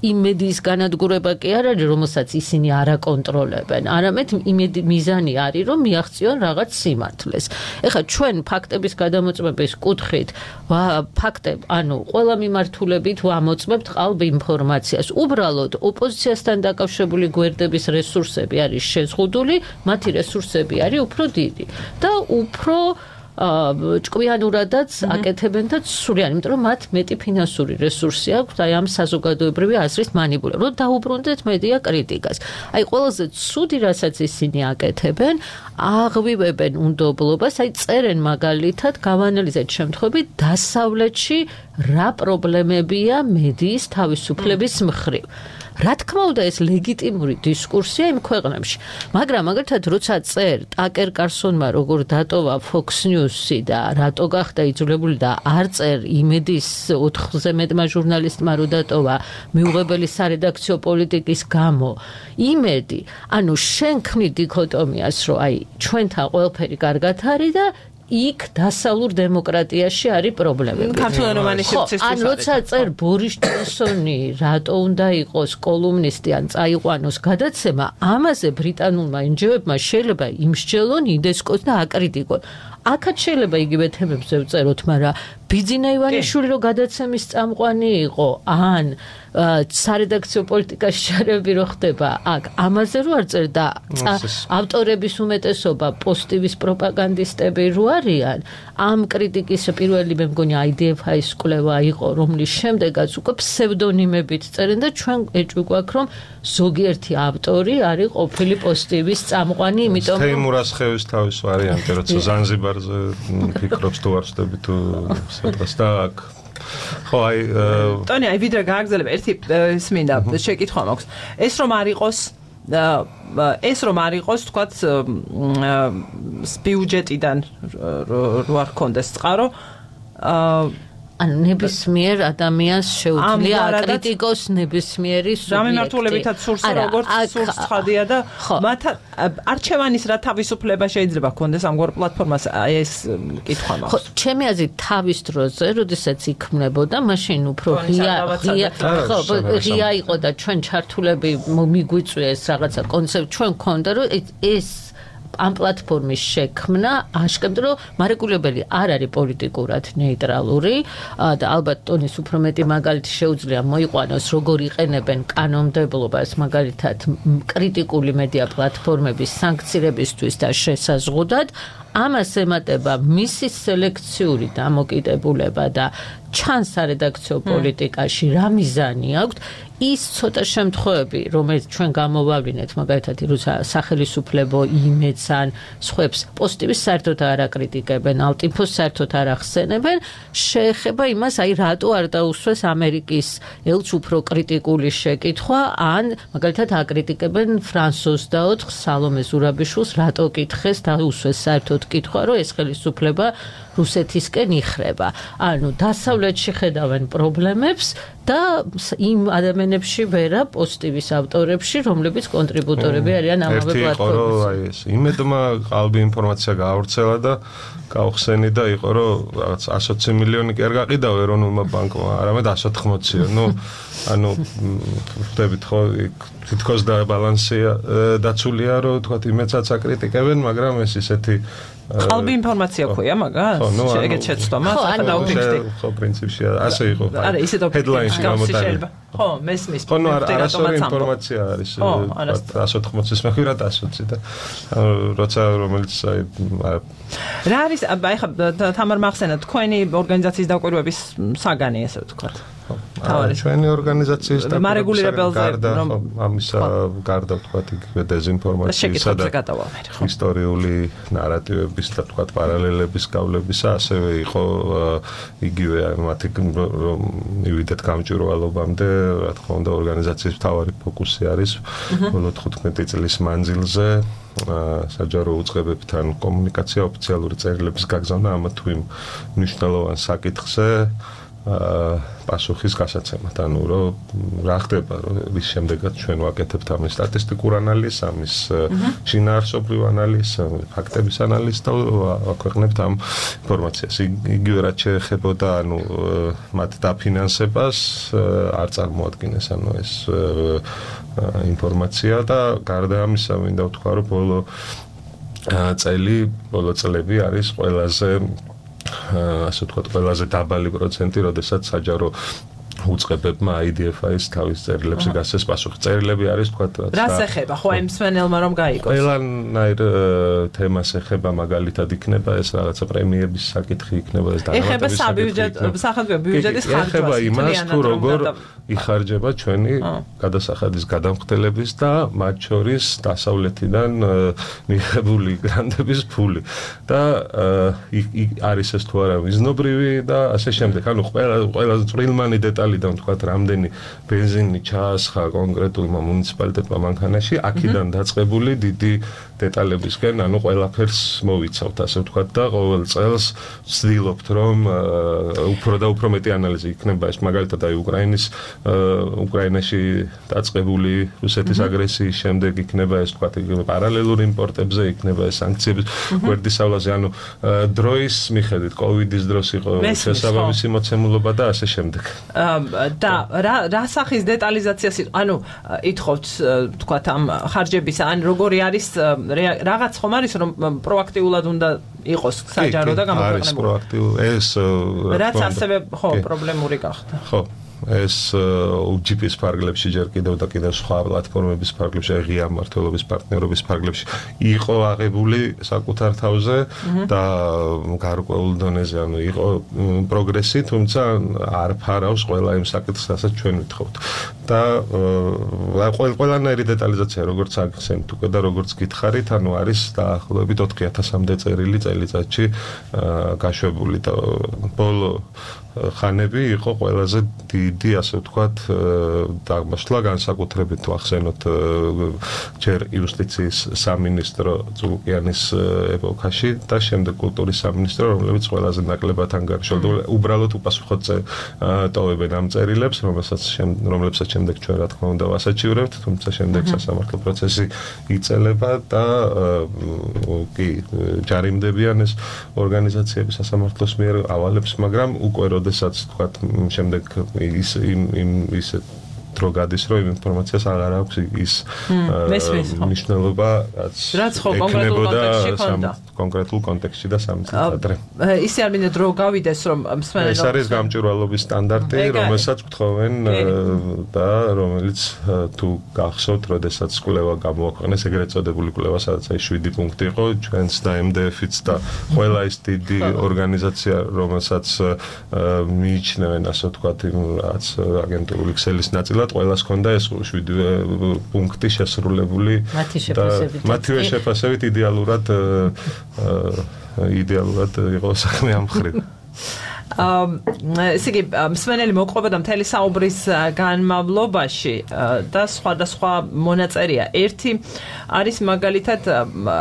იმ მედიის განადგურება კი არ არის, რომელსაც ისინი არ აკონტროლებენ, არამედ იმედი მიზანი არის, რომ მიაღწიონ რაღაც სიმართლეს. ეხლა ჩვენ ფაქტების გადამოწმების კუთხით, ფაქტებ, ანუ ყველა მიმართულებით ვამოწმებთ ყალბ ინფორმაციას. უბრალოდ ოპოზიციასთან დაკავშირებული გვერდების რესურსები არის შეზღუდული, მათი რესურსები არის უფრო და უფრო ჭკვიანურადაც აკეთებენ და სრულად, იმიტომ რომ მათ მეტი ფინანსური რესურსი აქვს აი ამ საზოგადოებრივი აზრის მანიპულირებას. რომ დაუბრუნდეთ მედია კრიტიკას. აი ყველაზე ცუდი რასაც ისინი აკეთებენ, აღვივებენ უნდობლობას, აი წერენ მაგალითად, გავანალიზეთ შემთხვევები დასავლეთში რა პრობლემებია მედიის თავისუფლების მხრივ. რა თქმა უნდა ეს ლეგიტიმური დისკურსია იმ ქვეყნებში, მაგრამ მაგალითად როცა წერ ტაკერ კარსონმა როგორ დატოვა Fox News-ი და რატო გახდა იძულებული და არ წერ იმედის ოთხზე მეტმა ჟურნალისტმა რო დატოვა მიუღებელი სარედაქციო პოლიტიკის გამო, იმედი, ანუ შენ ქმნი დიქოტომიას, რომ აი ჩვენთან ყველაფერი კარგად არის და იქ დასავლურ დემოკრატიაში არის პრობლემები. ქართული რომანის ან როცა წერ ბორის ჯონსონი რატო უნდა იყოს კოლუმნისტი ან წაიყვანოს გადაცემა, ამაზე ბრიტანულმა ენჯოებმა შეიძლება იმსჯელონ, იდესკოს და აკრიტიკონ. აქაც შეიძლება იგივე თემებზე ვწეროთ, მაგრამ ბიძინა ივანიშვილი რო გადაცემის წამყვანი იყო, ან სარედაქციო პოლიტიკაში ჩარევები რო ხდება, აქ ამაზე რო არ წერდა ავტორების უმეტესობა პოსტივის პროპაგანდისტები რო არიან, ამ კრიტიკის პირველი მე მგონი აი დი ეფ აის კვლევა იყო, რომლის შემდეგაც უკვე ფსევდონიმებით წერენ და ჩვენ ეჭვი გვაქვს, რომ ზოგიერთი ავტორი არის ყოფილი პოსტივის წამყვანი, იმიტომ რომ თეიმურას ხევის თავის ვარიანტი, როცა ზანზიბარზე ფიქრობს თუ არ ვწდები თუ სადღაც და აქ ხო აი ტონი აი ვიდრე გააგზავნებ ერთი ის მინდა შეკითხვა მაქვს ეს რომ არ იყოს ეს რომ არ იყოს თქვათ ბიუჯეტიდან რო არ ქონდეს წყარო ანუ ნებისმიერ ადამიანს შეუძლია აკრიტიკოს ნებისმიერი სუბიექტი. რა მიმართულებითაც სურს როგორც სურს ცხადია და მათ არჩევანის რა თავისუფლება შეიძლება ქონდეს ამგვარ პლატფორმას აი ეს კითხვა მაქვს. ხო, ჩემი აზრით თავის დროზე, როდესაც იქმნებოდა, მაშინ უფრო ღია ღია ხო, ღია იყო და ჩვენ ჩართულები მიგვიწვიეს რაღაცა კონცეფტ ჩვენ გქონდა რომ ეს ამ პლატფორმის შექმნა აშკარად რომ მარეგულებელი არ არის პოლიტიკურად ნეიტრალური და ალბათ ტონის უფრო მეტი მაგალითი შეუძლია მოიყვანოს როგორ იყენებენ კანონმდებლობას მაგალითად კრიტიკული მედია პლატფორმების სანქცირებისთვის და შესაზღუდად ამას ემატება მისი სელექციური დამოკიდებულება და ჩანს სარედაქციო პოლიტიკაში რა მიზანი აქვს ის ცოტა შემთხვევები რომელიც ჩვენ გამოვავლინეთ მაგალითად როცა სახელისუფლებო იმედს ან სხვებს პოსტივის საერთოდ არ აკრიტიკებენ ალტიფოს საერთოდ არ ახსენებენ შეეხება იმას აი რატო არ დაუსვეს ამერიკის ელჩ უფრო კრიტიკული შეკითხვა ან მაგალითად აკრიტიკებენ ფრანს ოცდაოთხ სალომე ზურაბიშვილს რატო კითხეს დაუსვეს საერთოდ კითხვა რომ ეს ხელისუფლება რუსეთისკენ იხრება ანუ დასავლეთში ხედავენ პრობლემებს და იმ ადამიანებში ვერა პოსტივის ავტორებში რომლებიც კონტრიბუტორები არიან ამავე პლატფორმაზე აი ეს იმედმა ყალბი ინფორმაცია გაავრცელა და გაუხსენი და იყო რომ რაღაც εκατი მილიონი კი არ გაყიდაო ეროვნულმა ბანკმა არამედ εκατი ოთხმოცია ნუ ანუ ვხვდებით ხო თითქოს და ბალანსია დაცულია რომ თქვა იმედსაც აკრიტიკებენ მაგრამ ეს ისეთი ყალბი ინფორმაცია ქვია მაგას ეგეთ შეცდომა დაუფიქსდი ხო პრინციპში ასე იყო არა ისეთ ჰედლაინში გამოტანილი ხო მესმის ხო ნუ არასორი ინფორმაცია არის εκατი ოთხმოცის მეხვირად εκατი ოცი და როცა რომელიც აი რა არის აი ხა თამარ მახსენა თქვენი ორგანიზაციის დაკვირვების საგანი ესე ვთქვათ ჩვენი ორგანიზაციის მარეგულირებელზე რომ ამისა გარდა ვთქვათ იგივე დეზინფორმაციისა და ისტორიული ნარატივების და ვთქვათ პარალელების გავლებისა ასევე იყო იგივე მათი რომ მივიდეთ გამჭვირვალობამდე რა თქმა უნდა ორგანიზაციის მთავარი ფოკუსი არის ბოლო თხუთმეტი წლის მანძილზე საჯარო უწყებებთან კომუნიკაცია ოფიციალური წერილების გაგზავნა ამა თუ იმ მნიშვნელოვან საკითხზე პასუხის გასაცემად ანუ რომ რა ხდება რომ ის შემდეგაც ჩვენ ვაკეთებთ ამის სტატისტიკურ ანალიზს ამის შინაარსობრივ ანალიზს ფაქტების ანალიზს და ვაქვეყნებთ ამ ინფორმაციას იგივე რაც შეეხებოდა ანუ მათ დაფინანსებას არ წარმოადგენს ანუ ეს ინფორმაცია და გარდა ამისა მინდა ვთქვა რომ ბოლო წელი ბოლო წლები არის ყველაზე ასე ვთქვათ, ყველაზე დაბალი პროცენტი, როდესაც საჯარო უწყებებმა აი დი ეფ აის თავის წერილებზე გასცეს პასუხი. წერილები არის ვთქვათ, რას ეხება? ხო, იმ მსმენელმა რომ გაიგოს. ყველანაირ თემას ეხება, მაგალითად იქნება ეს რაღაცა პრემიების საკითხი იქნება ეს დანამატების საკითხი. ეხება საბიუჯეტო, სახელმწიფო ბიუჯეტის ხარჯვა. ეხება იმას, თუ როგორ იხარჯება ჩვენი გადასახადის გადამხდელების და მათ შორის დასავლეთიდან მიღებული გრანტების ფული. და არის ეს თუ არა მიზნობრივი და ასე შემდეგ. ანუ ყველა ყველაზე წვრილმანი დეტალი დან თქვათ რამდენი ბენზინი ჩაასხა კონკრეტულმა მუნიციპალიტეტმა მანქანაში აქედან დაწყებული დიდი დეტალებისკენ ანუ ყველაფერს მოვიცავთ ასე ვთქვათ და ყოველ წელს ვცდილობთ რომ უფრო და უფრო მეტი ანალიზი იქნება ეს მაგალითად აი უკრაინის უკრაინაში დაწყებული რუსეთის აგრესიის შემდეგ იქნება ეს ვთქვათ პარალელურ იმპორტებზე იქნება ეს სანქციების გვერდისავლაზე ანუ დროის მიხედვით კოვიდის დროს იყო შესაბამისი მოცემულობა და ასე შემდეგ და რა რა სახის დეტალიზაციას ანუ ითხოვთ თქვათ ამ ხარჯების ან როგორი არის რაღაც ხომ არის რომ პროაქტიულად უნდა იყოს საჯარო და გამოქვეყნებული. არის პროაქტიული ეს რაც ასევე ხო პრობლემური გახდა. ხო ეს უჯიპის ფარგლებში ჯერ კიდევ და კიდევ სხვა პლატფორმების ფარგლებში, ღია მმართველობის პარტნიორობის ფარგლებში იყო აღებული საკუთარ თავზე და გარკვეულ დონეზე, ანუ იყო პროგრესი, თუმცა არ ფარავს ყველა იმ საკითხს, რასაც ჩვენ ვითხოვთ. და ყველანაირი დეტალიზაცია, როგორც აქცენტ უკვე და როგორც გითხარით, ანუ არის დაახლოებით ოთხი ათასამდე წერილი წელიწადში გაშვებული და ბოლო ხანები იყო ყველაზე დიდი, ასე ვთქვათ, დაღმაშლა განსაკუთრებით ვახსენოთ ჯერ იუსტიციის სამინისტრო ძულუკიანის ეპოქაში და შემდეგ კულტურის სამინისტრო, რომლებიც ყველაზე ნაკლებად ანგარიშობდა, უბრალოდ უპასუხოდ ტოვებენ ამ წერილებს, რომელსაც რომლებსაც შემდეგ ჩვენ რა თქმა უნდა ვასაჩივრებთ, თუმცა შემდეგ სასამართლო პროცესი იწელება და კი ჯარიმდებიან ეს ორგანიზაციები სასამართლოს მიერ ავალებს, მაგრამ უკვე როდესაც თქვათ შემდეგ ის იმ იმ ისე დრო გადის, რომ ინფორმაციას აღარ აქვს ის მნიშვნელობა, რაც ხო კონკრეტულ კონტექსტში ხონდა. კონკრეტულ კონტექსტში და სამი წელი ადრე. ისე არ მინდა დრო გავიდეს, რომ მსმენელს ეს არის გამჭვირვალობის სტანდარტი, რომელსაც გთხოვენ და რომელიც თუ გახსოვთ, როდესაც კვლევა გამოაქვეყნეს, ეგრეთ წოდებული კვლევა, სადაც აი შვიდი პუნქტი იყო, ჩვენს და ემ დე ეფ-იც და ყველა ის დიდი ორგანიზაცია, რომელსაც მიიჩნევენ, ასე ვთქვათ, რაც აგენტურული ქსელის ნაწილი ყველას ჰქონდა ეს შვიდი პუნქტი შესრულებული და მათივე შეფასებით იდეალურად იდეალურად იყო საქმე ამ მხრივ. ესე იგი, მსმენელი მოყვება და მთელი საუბრის განმავლობაში და სხვადასხვა მონაწერია. ერთი არის მაგალითად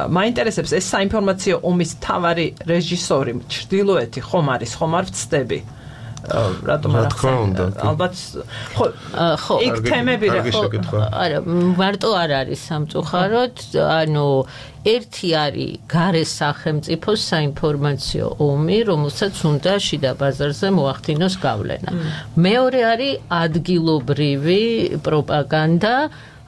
მაინტერესებს ეს საინფორმაციო ომის მთავარი რეჟისორი ჩრდილოეთი ხომ არის, ხომ არ ვცდები? რატომ არ ახსენე? ალბათ ხო ხო იქ თემები რა ხო არა მარტო არ არის სამწუხაროდ, ანუ ერთი არის გარე სახელმწიფოს საინფორმაციო ომი, რომელსაც უნდა შიდა ბაზარზე მოახდინოს გავლენა. მეორე არის ადგილობრივი პროპაგანდა,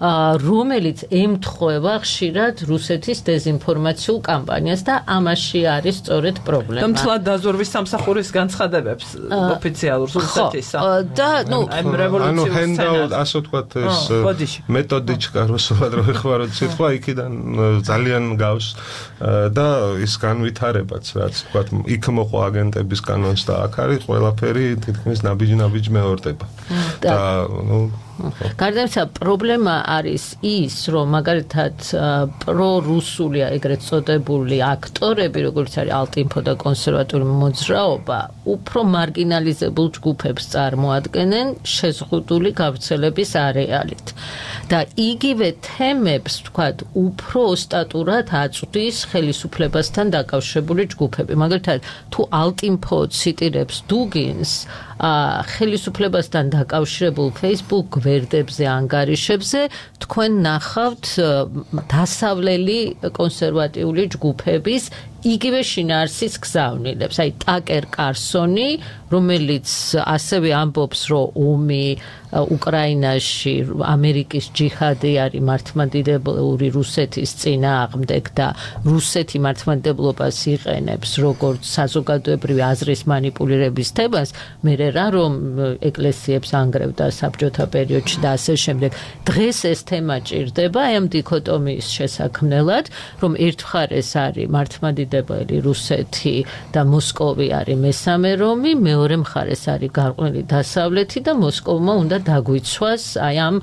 რომელიც ემთხვევა ხშირად რუსეთის დეზინფორმაციულ კამპანიას და ამაში არის სწორედ პრობლემა. და მთლად დაზვერვის სამსახურის განცხადებებს ოფიციალურ რუსეთისა. და ნუ ამ რევოლუციურ სცენარს ასე ვთქვათ ეს მეთოდიჩკა რუსულად რო ეხმაროთ სიტყვა იქიდან ძალიან გავს და ის განვითარებაც რაც ვთქვათ იქ მოყვა აგენტების კანონს და აქ არის ყველაფერი თითქმის ნაბიჯ-ნაბიჯ მეორდება. და ნუ გარდა ამისა პრობლემა არის ის, რომ მაგალითად პრორუსული ეგრეთ წოდებული აქტორები, როგორც არის ალტინფო და კონსერვატული მოძრაობა, უფრო მარგინალიზებულ ჯგუფებს წარმოადგენენ შეზღუდული გავრცელების არეალით. და იგივე თემებს, ვთქვათ, უფრო ოსტატურად აწვდის ხელისუფლებასთან დაკავშირებული ჯგუფები. მაგალითად, თუ ალტინფო ციტირებს დუგინს, ხელისუფლებასთან დაკავშირებულ Facebook გვერდებზე, ანგარიშებზე თქვენ ნახავთ დასავლელი კონსერვატიული ჯგუფების იგივე შინაარსის გზავნილებს. აი ტაკერ კარსონი, რომელიც ასევე ამბობს, რომ ომი უკრაინაში ამერიკის ჯიჰადი არის მართლმადიდებლური რუსეთის წინააღმდეგ და რუსეთი მართლმადიდებლობას იყენებს როგორც საზოგადოებრივი აზრის მანიპულირების თემას, მე რა რომ ეკლესიებს ანგრევდა საბჭოთა პერიოდში და ასე შემდეგ. დღეს ეს თემა ჭირდება ამ დიქოტომიის შესაქმნელად, რომ ერთ მხარეს არის მართლმადიდებელი რუსეთი და მოსკოვი არის მესამე რომი, მეორე მხარეს არის გარყვნილი დასავლეთი და მოსკოვმა უნდა დაგვიცვას აი ამ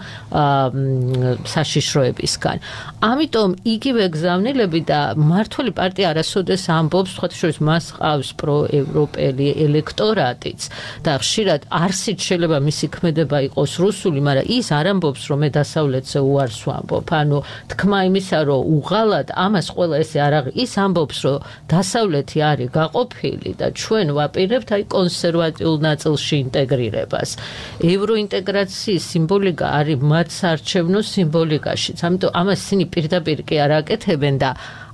საშიშროებისგან. ამიტომ იგივე გზავნილები და მმართველი პარტია არასოდეს ამბობს, სხვა შორის მას ყავს პროევროპელი ელექტორატიც და ხშირად არსით შეიძლება მისი ქმედება იყოს რუსული, მაგრამ ის არ ამბობს, რომ მე დასავლეთზე უარს ვამბობ. ანუ თქმა იმისა, რომ უღალად ამას ყველა ესე არ აღი, ის ამბობს, რომ დასავლეთი არის გაყოფილი და ჩვენ ვაპირებთ აი კონსერვატიულ ნაწილში ინტეგრირებას. ევროინტეგრაციის სიმბოლიკა არის მათ საარჩევნო სიმბოლიკაშიც. ამიტომ ამას ისინი პირდაპირ კი არ აკეთებენ და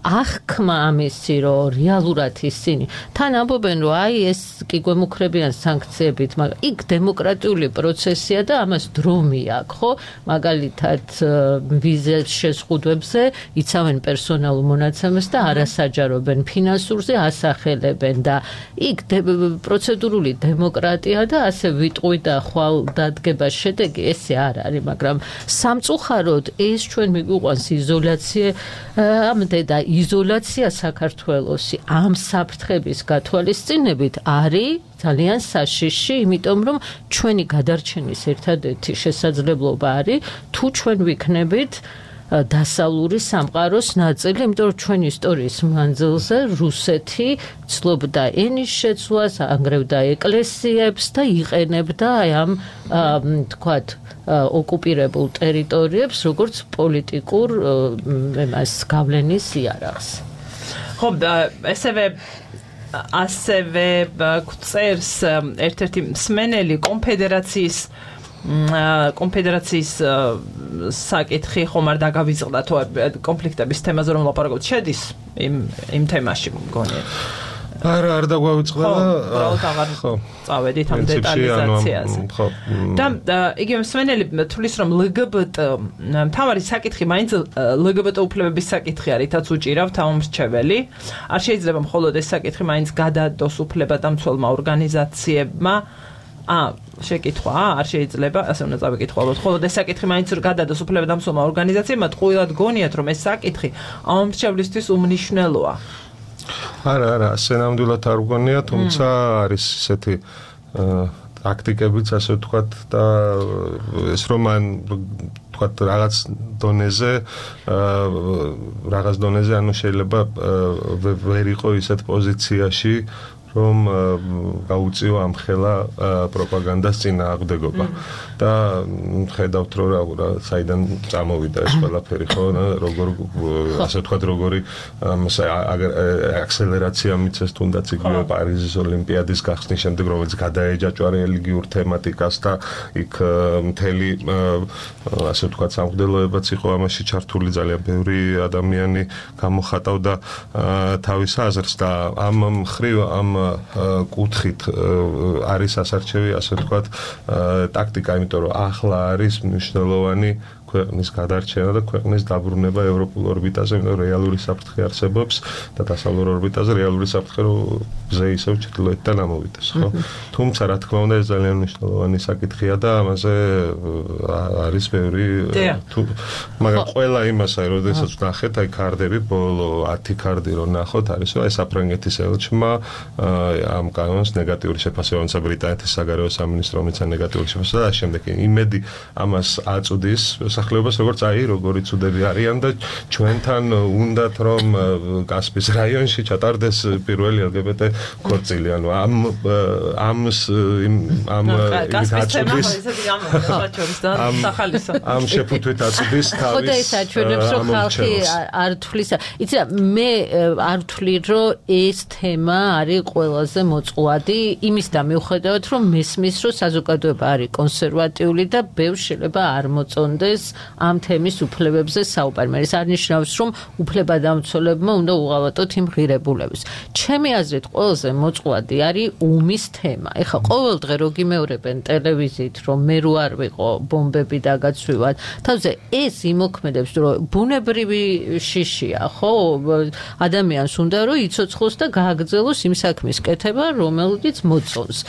ახქმა ამისი რომ რეალურად ისინი თან ამბობენ რომ აი ეს კი გვემუქრებიან სანქციებით, მაგრამ იქ დემოკრატიული პროცესია და ამას დრო მიაქვს, ხო? მაგალითად ვიზის შეზღუდვებზე იცავენ პერსონალურ მონაცემებს და არასაჯარობენ ფინანსურზე ასახელებენ და იქ პროცედურული დემოკრატია და ასე ვიტყვი და ხვალ დადგება შედეგი ესე არ არის, მაგრამ სამწუხაროდ ეს ჩვენ მიგვიყვანს იზოლაცია ამდე და იზოლაცია საქართველოსი ამ საფრთხების გათვალისწინებით არის ძალიან საშიში, იმიტომ რომ ჩვენი გადარჩენის ერთადერთი შესაძლებლობა არის თუ ჩვენ ვიქნებით დასავლური სამყაროს ნაწილი, იმიტომ რომ ჩვენი ისტორიის მანძილზე რუსეთი ცლობდა ენის შეცვლას, ანგრევდა ეკლესიებს და იყენებდა ამ თქვათ ოკუპირებულ ტერიტორიებს როგორც პოლიტიკურ εμას გავლენის იარაღს. ხო, ესევე ასევე გვწერს ერთ-ერთი მსმენელი კონფედერაციის კონფედერაციის საკითხი ხომ არ დაგავიწყდა თუ კონფლიქტების თემაზე რომ ლაპარაკობთ შედის იმ იმ თემაში მგონია. არა, არ დაგვავიწყდა და უბრალოდ აღარ წავედით ამ დეტალიზაციაზე. და იგივე მსმენელი თulis რომ ლგბტ მთავარი საკითხი მაინც ლგბტ უფლებების საკითხი არის, თაც უჭირავთ ამომრჩეველი. არ შეიძლება მხოლოდ ეს საკითხი მაინც გადადოს უფლებადამცველმა ორგანიზაციებმა. ა შეკითხვა არ შეიძლება, ასე უნდა წავიკითხო, ალბათ მხოლოდ ეს საკითხი მაინც გადადოს უფლებადამცველმა ორგანიზაციებმა, ტყუილად გონიათ რომ ეს საკითხი ამომრჩევლისთვის უმნიშვნელოა. არა, არა, ასე ნამდვილად არ გონია, თუმცა არის ესეთი ტაქტიკებიც, ასე ვთქვათ და ეს რომ მან ვთქვათ რაღაც დონეზე რაღაც დონეზე ანუ შეიძლება ვერ იყო ისეთ პოზიციაში რომ გაუწიო ამ ხელა პროპაგანდას წინააღმდეგობა და ხედავთ რომ საიდან წამოვიდა ეს ყველაფერი ხო როგორ ასე ვთქვათ როგორი აქსელერაცია მიცეს თუნდაც იგივე პარიზის ოლიმპიადის გახსნის შემდეგ რომელიც გადაეჯაჭვა რელიგიურ თემატიკას და იქ მთელი ასე ვთქვათ სამღვდელოებაც იყო ამაში ჩართული ძალიან ბევრი ადამიანი გამოხატავდა თავის აზრს და ამ მხრივ ამ კუთხით არის ასარჩევი ასე ვთქვათ ტაქტიკა, იმიტომ რომ ახლა არის მნიშვნელოვანი ქვეყნის გადარჩენა და ქვეყნის დაბრუნება ევროპულ ორბიტაზე, იმიტომ რომ რეალური საფრთხე არსებობს და დასავლურ ორბიტაზე რეალური საფრთხე ზე ისევ ჩრდილოეთიდან ამოვიდეს, ხო? თუმცა რა თქმა უნდა ეს ძალიან მნიშვნელოვანი საკითხია და ამაზე არის ბევრი თუ მაგრამ ყველა იმასა, როდესაც ვნახეთ, აი ქარდები, ბოლო ათი ქარდი რო ნახოთ, არის რომ აი საფრანგეთის ელჩმა ამ კანონს ნეგატიური შეფასება ამცა ბრიტანეთის საგარეო სამინისტრო ამცა ნეგატიური შეფასება და შემდეგ იმედი ამას აწვდის სახლებობას როგორც აი როგორი ცუდები არიან და ჩვენთან უნდათ რომ კასპიის რაიონში ჩატარდეს პირველი ელგბტ ქორწილი, ანუ ამ ამს ამ აწვდის ამ შეფუთვით აწვდის თავის ხო და ეს აჩვენებს რომ ხალხი არ თვლის. იცი მე არ ვთვლი რომ ეს თემა არის ყველაზე მოწყვეტი იმის და მიუხედავად რომ მესმის რომ საზოგადოება არის კონსერვატიული და ბევრ შეიძლება არ მოწონდეს ამ თემის უფლებებზე საუბარი. ეს არ ნიშნავს რომ უფლებადამცველებმა უნდა უღალატოთ იმ ღირებულებას. ჩემი აზრით ყველაზე მოწყვეტი არის ომის თემა. ეხლა ყოველ დღე რო გიმეორებენ ტელევიზიით რომ მე რო არ ვიყო ბომბები დაგაცვივად, თავზე ეს იმოქმედებს რომ ბუნებრივი შიშია, ხო? ადამიანს უნდა რომ იცოცხლოს და გააგრძელოს იმ საქმის კეთება, რომელიც მოწონს.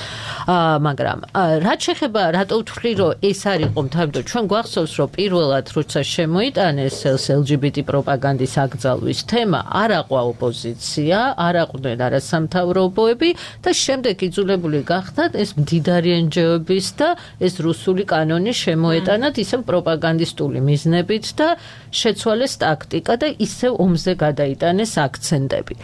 მაგრამ რაც შეეხება რატო ვთვლი რომ ეს არ იყო მთავრად ჩვენ გვახსოვს რომ პირველად როცა შემოიტანეს ელ ჯი ბი ტი პროპაგანდის აკრძალვის თემა, არ აყვა ოპოზიცია, არ აყვნენ არასამთავრობოები და შემდეგ იძულებული გახდათ ეს მდიდარი εν ჯი ო-ების და ეს რუსული კანონი შემოეტანათ ისევ პროპაგანდისტული მიზნებით და შეცვალეს ტაქტიკა და ისევ ომზე გადაიტანეს აქცენტები.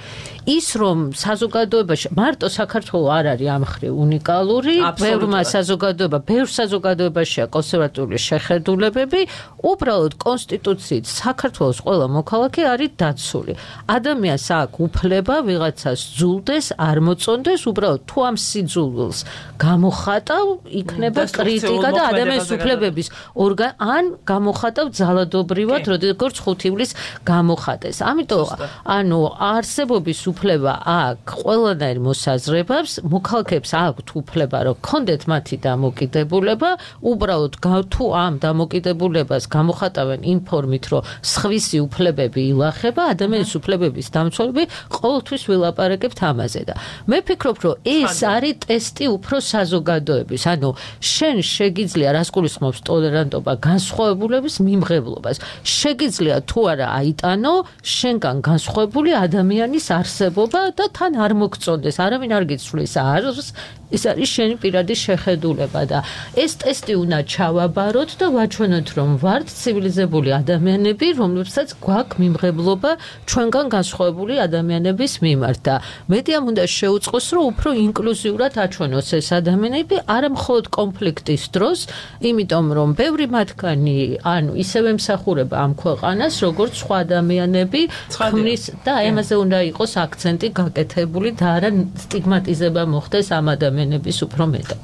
ის რომ საზოგადოებაში მარტო საქართველოს არ არის ამ მხრივ უნიკალური, ბევრმა საზოგადოება, ბევრ საზოგადოებაშია კონსერვატიული შეხედულებები უბრალოდ კონსტიტუციით საქართველოს ყველა მოქალაქე არის დაცული. ადამიანს აქვს უფლება ვიღაცას ძულდეს, არ მოწონდეს, უბრალოდ თუ ამ სიძულვილს გამოხატავ, იქნება კრიტიკა და ადამიანის უფლებების ორგან ან გამოხატავ ძალადობრივად, როგორც ხუთი ივლისს გამოხატეს. ამიტომ ანუ არსებობის უფლება აქვს ყველანაირ მოსაზრებებს, მოქალაქეებს აქვთ უფლება, რომ კონდეთ მათი დამოკიდებულება, უბრალოდ თუ ამ დამოკიდებულებას გამოხატავენ იმ ფორმით, რომ სხვისი უფლებები ილახება, ადამიანის უფლებების დამცველები ყოველთვის ვილაპარაკებთ ამაზე და მე ფიქრობ, რომ ეს არის ტესტი უფრო საზოგადოების, ანუ შენ შეგიძლია რას გულისხმობს ტოლერანტობა განსხვავებულების მიმღებლობას. შეგიძლია თუ არა აიტანო შენგან განსხვავებული ადამიანის არსებობა და თან არ მოგწონდეს, არავინ არ გიცვლის არს, ეს არის შენი პირადი შეხედულება და ეს ტესტი უნდა ჩავაბაროთ და ვაჩვენოთ, რომ ვართ ცივილიზებული ადამიანები, რომლებსაც გვაქვს მიმღებლობა ჩვენგან განსხვავებული ადამიანების მიმართ და მედიამ უნდა შეუწყოს, რომ უფრო ინკლუზიურად აჩვენოს ეს ადამიანები, არა მხოლოდ კონფლიქტის დროს, იმიტომ რომ ბევრი მათგანი ანუ ისევე ემსახურება ამ ქვეყანას, როგორც სხვა ადამიანები ქმნის და ამაზე უნდა იყოს აქცენტი გაკეთებული და არა სტიგმატიზება მოხდეს ამ ადამიანების უფრო მეტად.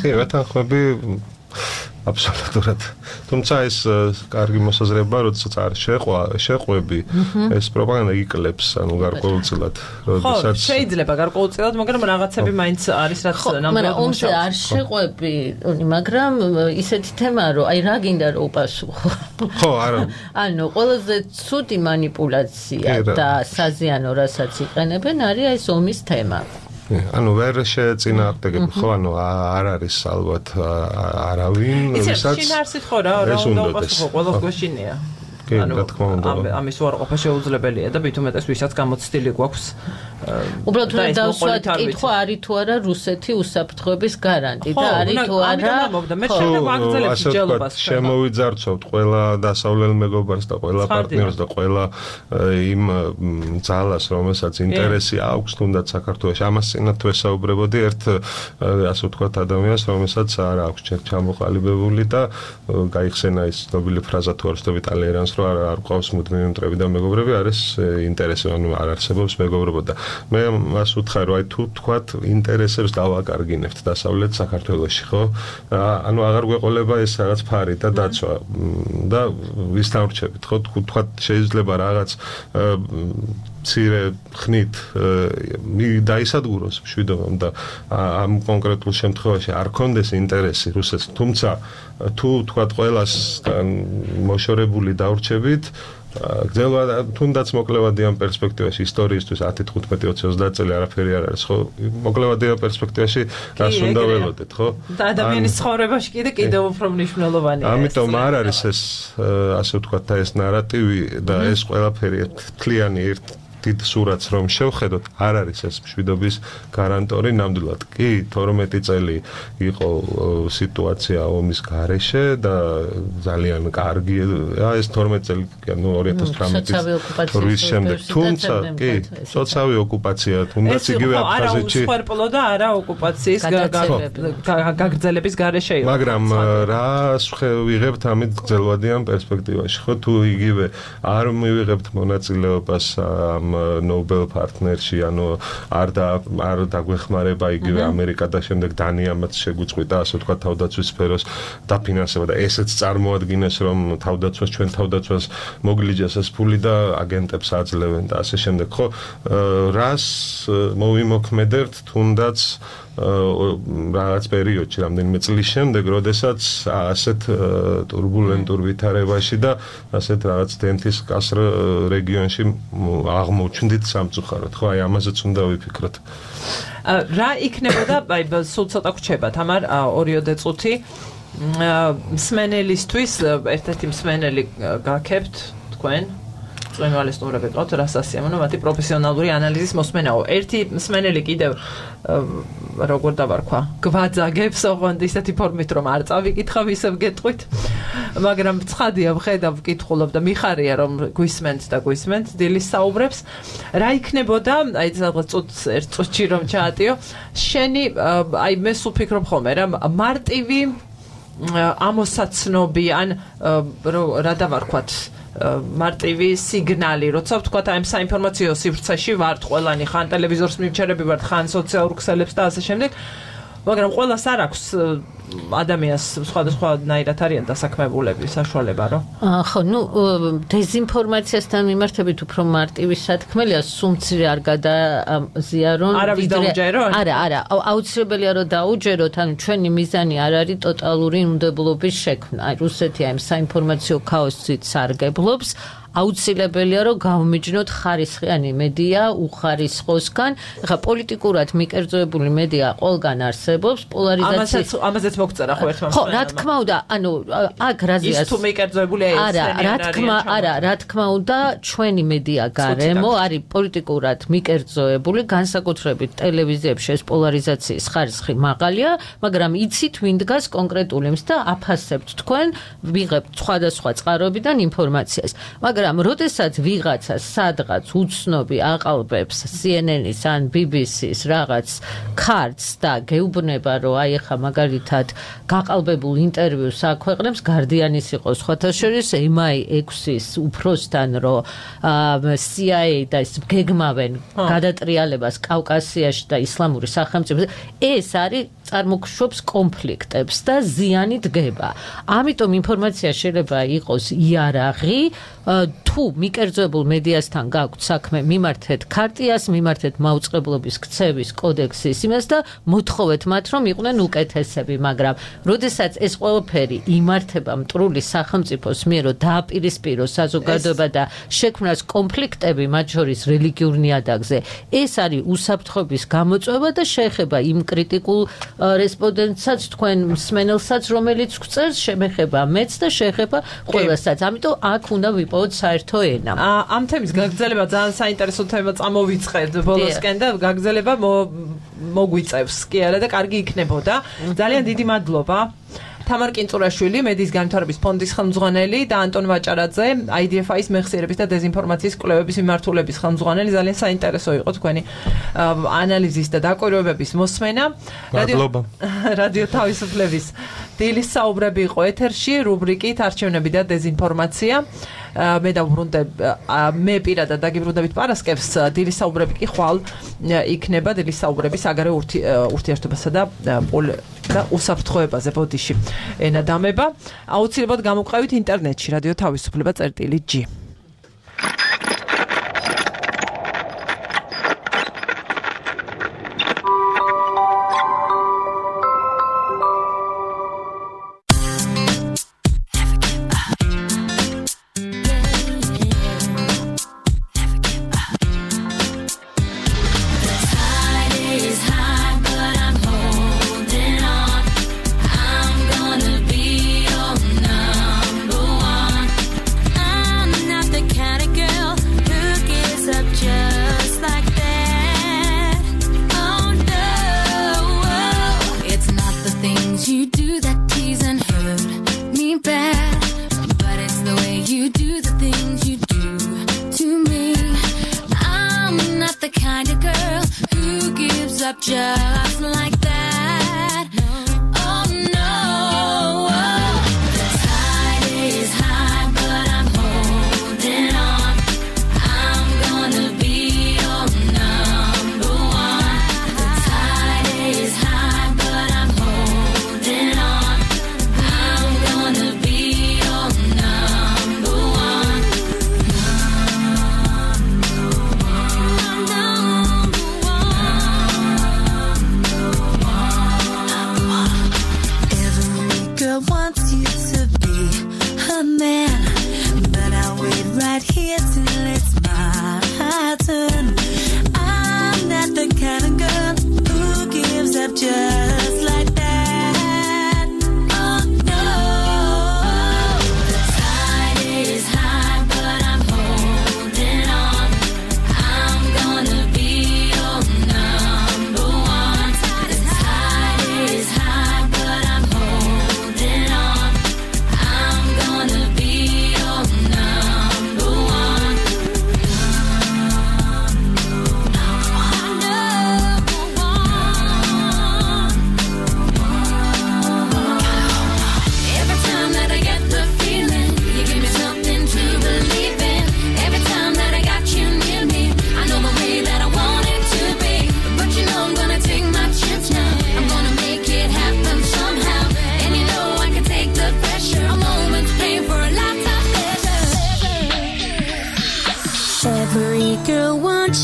კი, ვეთანხმები აბსოლუტურად. თუმცა ეს კარგი მოსაზრება, როდესაც არ შეყვა, შეყვები, ეს პროპაგანდა იკლებს, ანუ გარკვეულწილად, როდესაც ხო, შეიძლება გარკვეულწილად, მაგრამ რაღაცები მაინც არის, რაც ნამდვილად მუშაობს. არ შეყვები, მაგრამ ისეთი თემაა, რომ აი რა გინდა რომ უპასუხო. ხო, არა. ანუ ყველაზე ცუდი манипуляция და საზიანო, რასაც იყენებენ, არის ეს ომის თემა. ანუ ვერ შეეწინააღმდეგებ, ხო, ანუ არ არის ალბათ არავინ, ვისაც ისე შინაარსით ხო რა, რა უნდა უპასუხო, ყველას გვეშინია. კი, რა თქმა უნდა. ამის უარყოფა შეუძლებელია და მით უმეტეს ვისაც გამოცდილი გვაქვს. უბრალოდ რა დავსვათ კითხვა არის თუ არა რუსეთი უსაფრთხოების გარანტი და არის თუ არა. მე შეიძლება აგრძელებს ჯელობას. შემოვიძარცვავთ ყველა დასავლელ მეგობარს და ყველა პარტნიორს და ყველა იმ ძალას, რომელსაც ინტერესი აქვს თუნდაც საქართველოში. ამას წინათ თუ ესაუბრებოდი ერთ ასე ვთქვათ ადამიანს, რომელსაც არ აქვს ჩამოყალიბებული და გაიხსენა ის ცნობილი ფრაზა თუ არ ვცდები ტალერანს, რომ არ ყავს მუდმივი მტრები და მეგობრები, არის ინტერესი, ანუ არ არსებობს მეგობრობა და მე მას ვუთხარ, რომ აი თუ თქვათ ინტერესებს დავაკარგინებთ დასავლეთ საქართველოში, ხო? ანუ აღარ გვეყოლება ეს რაღაც ფარი და დაცვა და ვის დამრჩებით, ხო? თქვათ შეიძლება რაღაც ცირე ხნით დაისადგუროს მშვიდობამ და ამ კონკრეტულ შემთხვევაში არ კონდეს ინტერესი რუსეთს, თუმცა თუ თქვათ ყველას მოშორებული დავრჩებით, გძელვა თუნდაც მოკლევადი ამ პერსპექტივაში ისტორიისთვის ათი, თხუთმეტი, ოცი, ოცდაათი წელი არაფერი არ არის, ხო? მოკლევადი ამ პერსპექტივაში რას უნდა ველოდეთ, ხო? და ადამიანის ცხოვრებაში კიდე კიდევ უფრო მნიშვნელოვანია. ამიტომ არ არის ეს ასე ვთქვათ და ეს ნარატივი და ეს ყველაფერი თლიანი ერთ დიდ სურათს რომ შევხედოთ, არ არის ეს მშვიდობის გარანტორი ნამდვილად. კი, თორმეტი წელი იყო სიტუაცია ომის გარეშე და ძალიან კარგია ეს თორმეტი წელი, ანუ ორი ათას თვრამეტის შემდეგ. თუმცა, კი, სოციალური ოკუპაცია, თუნდაც იგივე აფხაზეთში. არა უსხვერპლო და არა ოკუპაციის გაგრძელების გარეშე იყო. მაგრამ რას ვიღებთ ამით გრძელვადიან პერსპექტივაში, ხო? თუ იგივე არ მივიღებთ მონაწილეობას ამ Nobel partnerში, ანუ არ და არ დაგვეხმარება იგივე ამერიკა და შემდეგ დანიამაც შეგვიწყვიტა, ასე ვთქვათ, თავდაცვის სფეროს დაფინანსება და ესეც წარმოადგინეს, რომ თავდაცვას ჩვენ თავდაცვას მოგლიჯეს ეს ფული და აგენტებს აძლევენ და ასე შემდეგ, ხო? რას მოვიმოქმედებთ თუნდაც რაღაც პერიოდში, რამდენიმე წლის შემდეგ, როდესაც ასეთ турბულენტურ ვითარებაში და ასეთ რაღაც დენთის კასრ რეგიონში აღმოჩნდით სამწუხაროდ, ხო, აი ამაზეც უნდა ვიფიქროთ. რა იქნებოდა, აი სულ ცოტა გვჩება, თამარ, ორიოდე წუთი მსმენელისთვის, ერთ-ერთი მსმენელი გაქებთ თქვენ ჟურნალისტურები ყავთ, რას ასიამოვნო, მათი პროფესიონალური ანალიზის მოსმენაო. ერთი მსმენელი კიდევ როგორ დავარქვა, გვაძაგებს, ოღონდ ისეთი ფორმით, რომ არ წავიკითხავ, ისევ გეტყვით. მაგრამ ცხადია, ვხედავ, ვკითხულობ და მიხარია, რომ გვისმენთ და გვისმენთ დილის საუბრებს. რა იქნებოდა, აი რაღაც წუთს ერთ წუთში რომ ჩაატიო, შენი, აი მე სულ ფიქრობ ხოლმე, რა მარტივი ამოსაცნობი ან რა დავარქვათ მარტივი სიგნალი, როცა ვთქვათ აი ამ საინფორმაციო სივრცეში ვართ ყველანი, ხან ტელევიზორს მივჩერები ვართ, ხან სოციალურ ქსელებს და ასე შემდეგ, მაგრამ ყველას არ აქვს ადამიანს სხვადასხვანაირად არიან დასაქმებულები საშუალება, რომ ხო, ნუ დეზინფორმაციასთან მიმართებით უფრო მარტივი სათქმელია, სუმცირე არ გადაზიარონ. არავის დაუჯერონ? არა, არა, აუცილებელია რომ დაუჯეროთ, ანუ ჩვენი მიზანი არ არის ტოტალური უნდებლობის შექმნა. აი რუსეთი აი საინფორმაციო ქაოსით სარგებლობს. აუცილებელია რომ გავმიჯნოთ ხარისხიანი მედია უხარისხოსგან. ეხლა პოლიტიკურად მიკერძოებული მედია ყველგან არსებობს, პოლარიზაციის ამაზეც მოგწერა ხო ერთმა ხო, რა თქმა უნდა, ანუ აქ რაზეა ის თუ მიკერძოებულია ეს არა, რა თქმა, არა, რა თქმა უნდა, ჩვენი მედია გარემო არის პოლიტიკურად მიკერძოებული, განსაკუთრებით ტელევიზიებში ეს პოლარიზაციის ხარისხი მაღალია, მაგრამ იცით ვინ დგას კონკრეტულ იმს და აფასებთ თქვენ, ვიღებთ სხვადასხვა წყაროებიდან ინფორმაციას. მაგრამ მაგრამ როდესაც ვიღაცა სადღაც უცნობი აყალბებს C N N-ის ან B B C-ის რაღაც ქართს და გეუბნება რომ აი ახლა მაგალითად გაყალბებულ ინტერვიუს აქვეყნებს Guardian-ის იყო სხვათა შორის M I six-ის უფროსთან რომ C I A და ის გეგმავენ გადატრიალებას კავკასიაში და ისლამური სახელმწიფოზე ეს არის წარმოქმნობს კონფლიქტებს და ზიანი დგება. ამიტომ ინფორმაცია შეიძლება იყოს იარაღი თუ მიკერძოებულ მედიასთან გაქვთ საქმე, მიმართეთ ქარტიას, მიმართეთ მაუწყებლობის ქცევის კოდექსის იმას და მოთხოვეთ მათ, რომ იყვნენ უკეთესები, მაგრამ როდესაც ეს ყველაფერი იმართება მტრული სახელმწიფოს მიერ, რომ დააპირისპიროს საზოგადოება და შექმნას კონფლიქტები მათ შორის რელიგიურ ნიადაგზე, ეს არის უსაფრთხოების გამოწვევა და შეეხება იმ კრიტიკულ რესპონდენტსაც, თქვენ მსმენელსაც, რომელიც გვწერს, შემეხება მეც და შეეხება ყველასაც. ამიტომ აქ უნდა ვიპოვოთ საერთო ენა. ამ თემის გაგრძელება ძალიან საინტერესო თემა წამოვიწყეთ ბოლოსკენ და გაგრძელება მოგვიწევს კი არა და კარგი იქნებოდა. ძალიან დიდი მადლობა. თამარ კინწურაშვილი, მედიის განვითარების ფონდის ხელმძღვანელი და ანტონ ვაჭარაძე, I D F I-ის მეხსიერების და დეზინფორმაციის კვლევების მიმართულების ხელმძღვანელი. ძალიან საინტერესო იყო თქვენი ანალიზის და დაკვირვებების მოსმენა. მადლობა. რადიო თავისუფლების დილის საუბრები იყო ეთერში, რუბრიკით არჩევნები და დეზინფორმაცია. მე დავბრუნდებ მე პირადად დაგიბრუნდებით პარასკევს, დილის საუბრები კი ხვალ იქნება დილის საუბრების საგარეო ურთიერთობასა და და უსაფრთხოებაზე ბოდიში ენა დამება. აუცილებლად გამოვყავით ინტერნეტში რადიო თავისუფლება წერტილი G.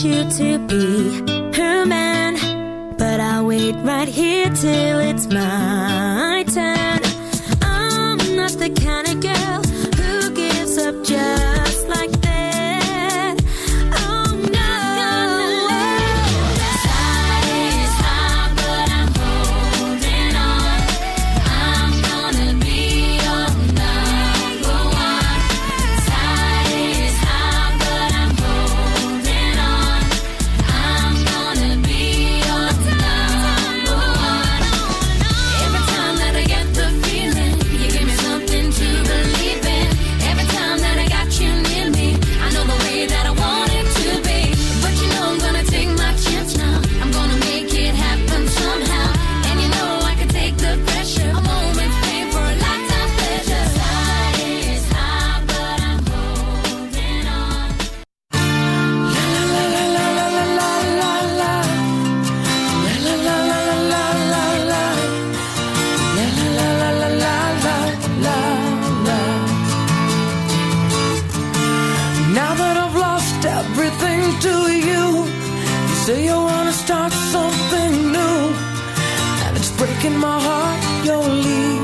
you to be her man, but I'll wait right here till it's my turn. I'm not the kind of girl who gives up just like that. Oh no. Side is high, but I'm holding on. I'm gonna be your number one. Side is high, but I'm holding on. I'm gonna be your number one. Every time that I get the feeling, you give me something to believe in. Every time that I got you near me, I know the way that I want it to be. But you know I'm gonna take my chance now. I'm gonna make it happen somehow. And you know I can take the pressure. A moment's pain for a lifetime pleasure. Side is high, but I'm holding on. Now that I've lost everything to you, you say you wanna start something new, and it's breaking my heart you're leaving.